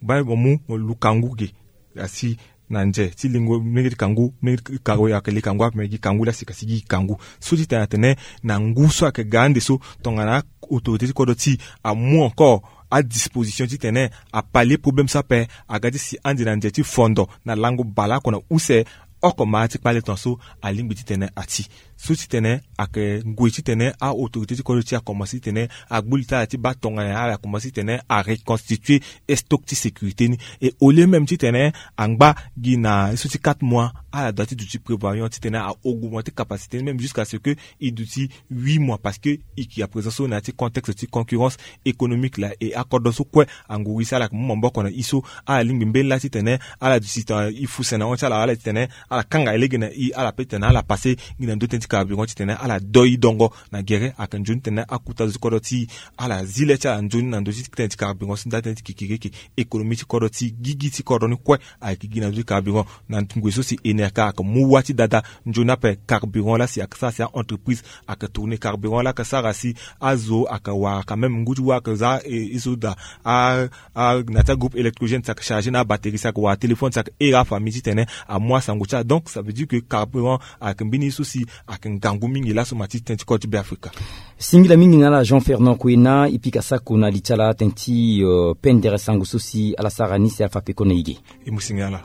Baa mo mu mo lu kangu ge, asi na nze ti lingo, mbeni ti kangu, mbeni ti kangu, ayeke le kangu ape, me gi kangu laa si ka si gi kangu. So ti tene atene na ngu so ayeke ga ande so, tongana autorité ti kodro ti e amu encore adisposition titene apalie problème so ape, aga ti si ande na nze ti fondo na lango baleoko na use, oko mara ti kpale tongaso, alingbi titene ati. So titene ayeke ngoi titene a-autorité ti kodro ti e akomanse titene agbu li ti ala ti baa tongana nyen ala komanse titene areconstituer stock ti sécurité ni. Et au lieu même titene angba gi na ye so ti quatre mois, ala doit ti duti prévoyant titene a-augmenter capacité ni même jusqu'à ce que e duti huit mois, parce que e yeke à présent so na ya ti contexte ti concurrence économique laa, e akodro so kue anguru e si ala yeke mu maboko na e so, ala lingbi mbeni laa titene ala duti tongana e fu sene na hon ti ala, ala titene ala kanga e lege na e, ala pe titene ala passer gi na ndö tënë ti carburant titene ala doi dongo na gere. Ayeke nzoni titene akota zo ti kodro ti e ala zi le ti ala nzoni na ndö ti tënë ti carburant so nda tënë ti kikiriki économie ti kodro ti e, gigi ti kodro ni kue ayeke gi na ndö ti carburant. Na ngoi so si enerka ayeke mu wâ ti dada nzoni ape, carburant laa si ayeke sara si a-entreprise ayeke tourner, carburant laa ayeke sara si azo ayeke wara quand même ngu ti wâ ayeke za, e, e so daa a, a, na ya ti agroupe électrogène si ayeke charger na abatterie si ayeke wara téléphone si ayeke here afamille titene amu asango ti ala. Donc ça veut dire que carburant ayeke mbeni ye so si ayeke ngangu mingi laso ma ti tënë ti kodro ti Beafrika. Singila mingi na ala Jean Fernand Kwena, e pika sako na li ti ala tënë ti, euh, pendere sango so si ala sara ni si afa peko na e ge. E mu singila ala.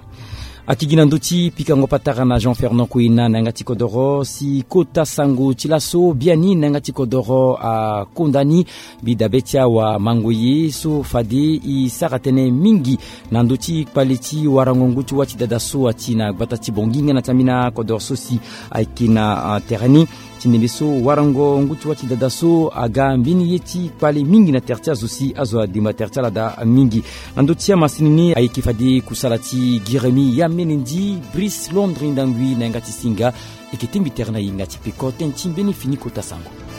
Akigi na ndö ti pikango patara na Jean Fernand Kouina na yanga ti kodoro si kota sango ti laso biani na yanga ti kodoro akonda ni. Mbi dabe ti awamango ye so fade e sara tënë mingi na ndö ti kpale ti warango ngu ti wâ ti dada so ati na gbata ti Bongi nga na ti ambeni akodoro so si ayeke na tere ni. Ti ndembe so warango ngu ti wâ ti dada so aga mbeni ye ti kpale mingi na tere ti azo si azo ademba tere ti ala daa mingi. Na ndö ti amasini ni ayeke fade kusala ti Giremi Yamene Ndi, Brice Londre Ndangui na yanga ti singa. E yeke tingbi tere na yenga ti peko tënë ti mbeni fini kota sango.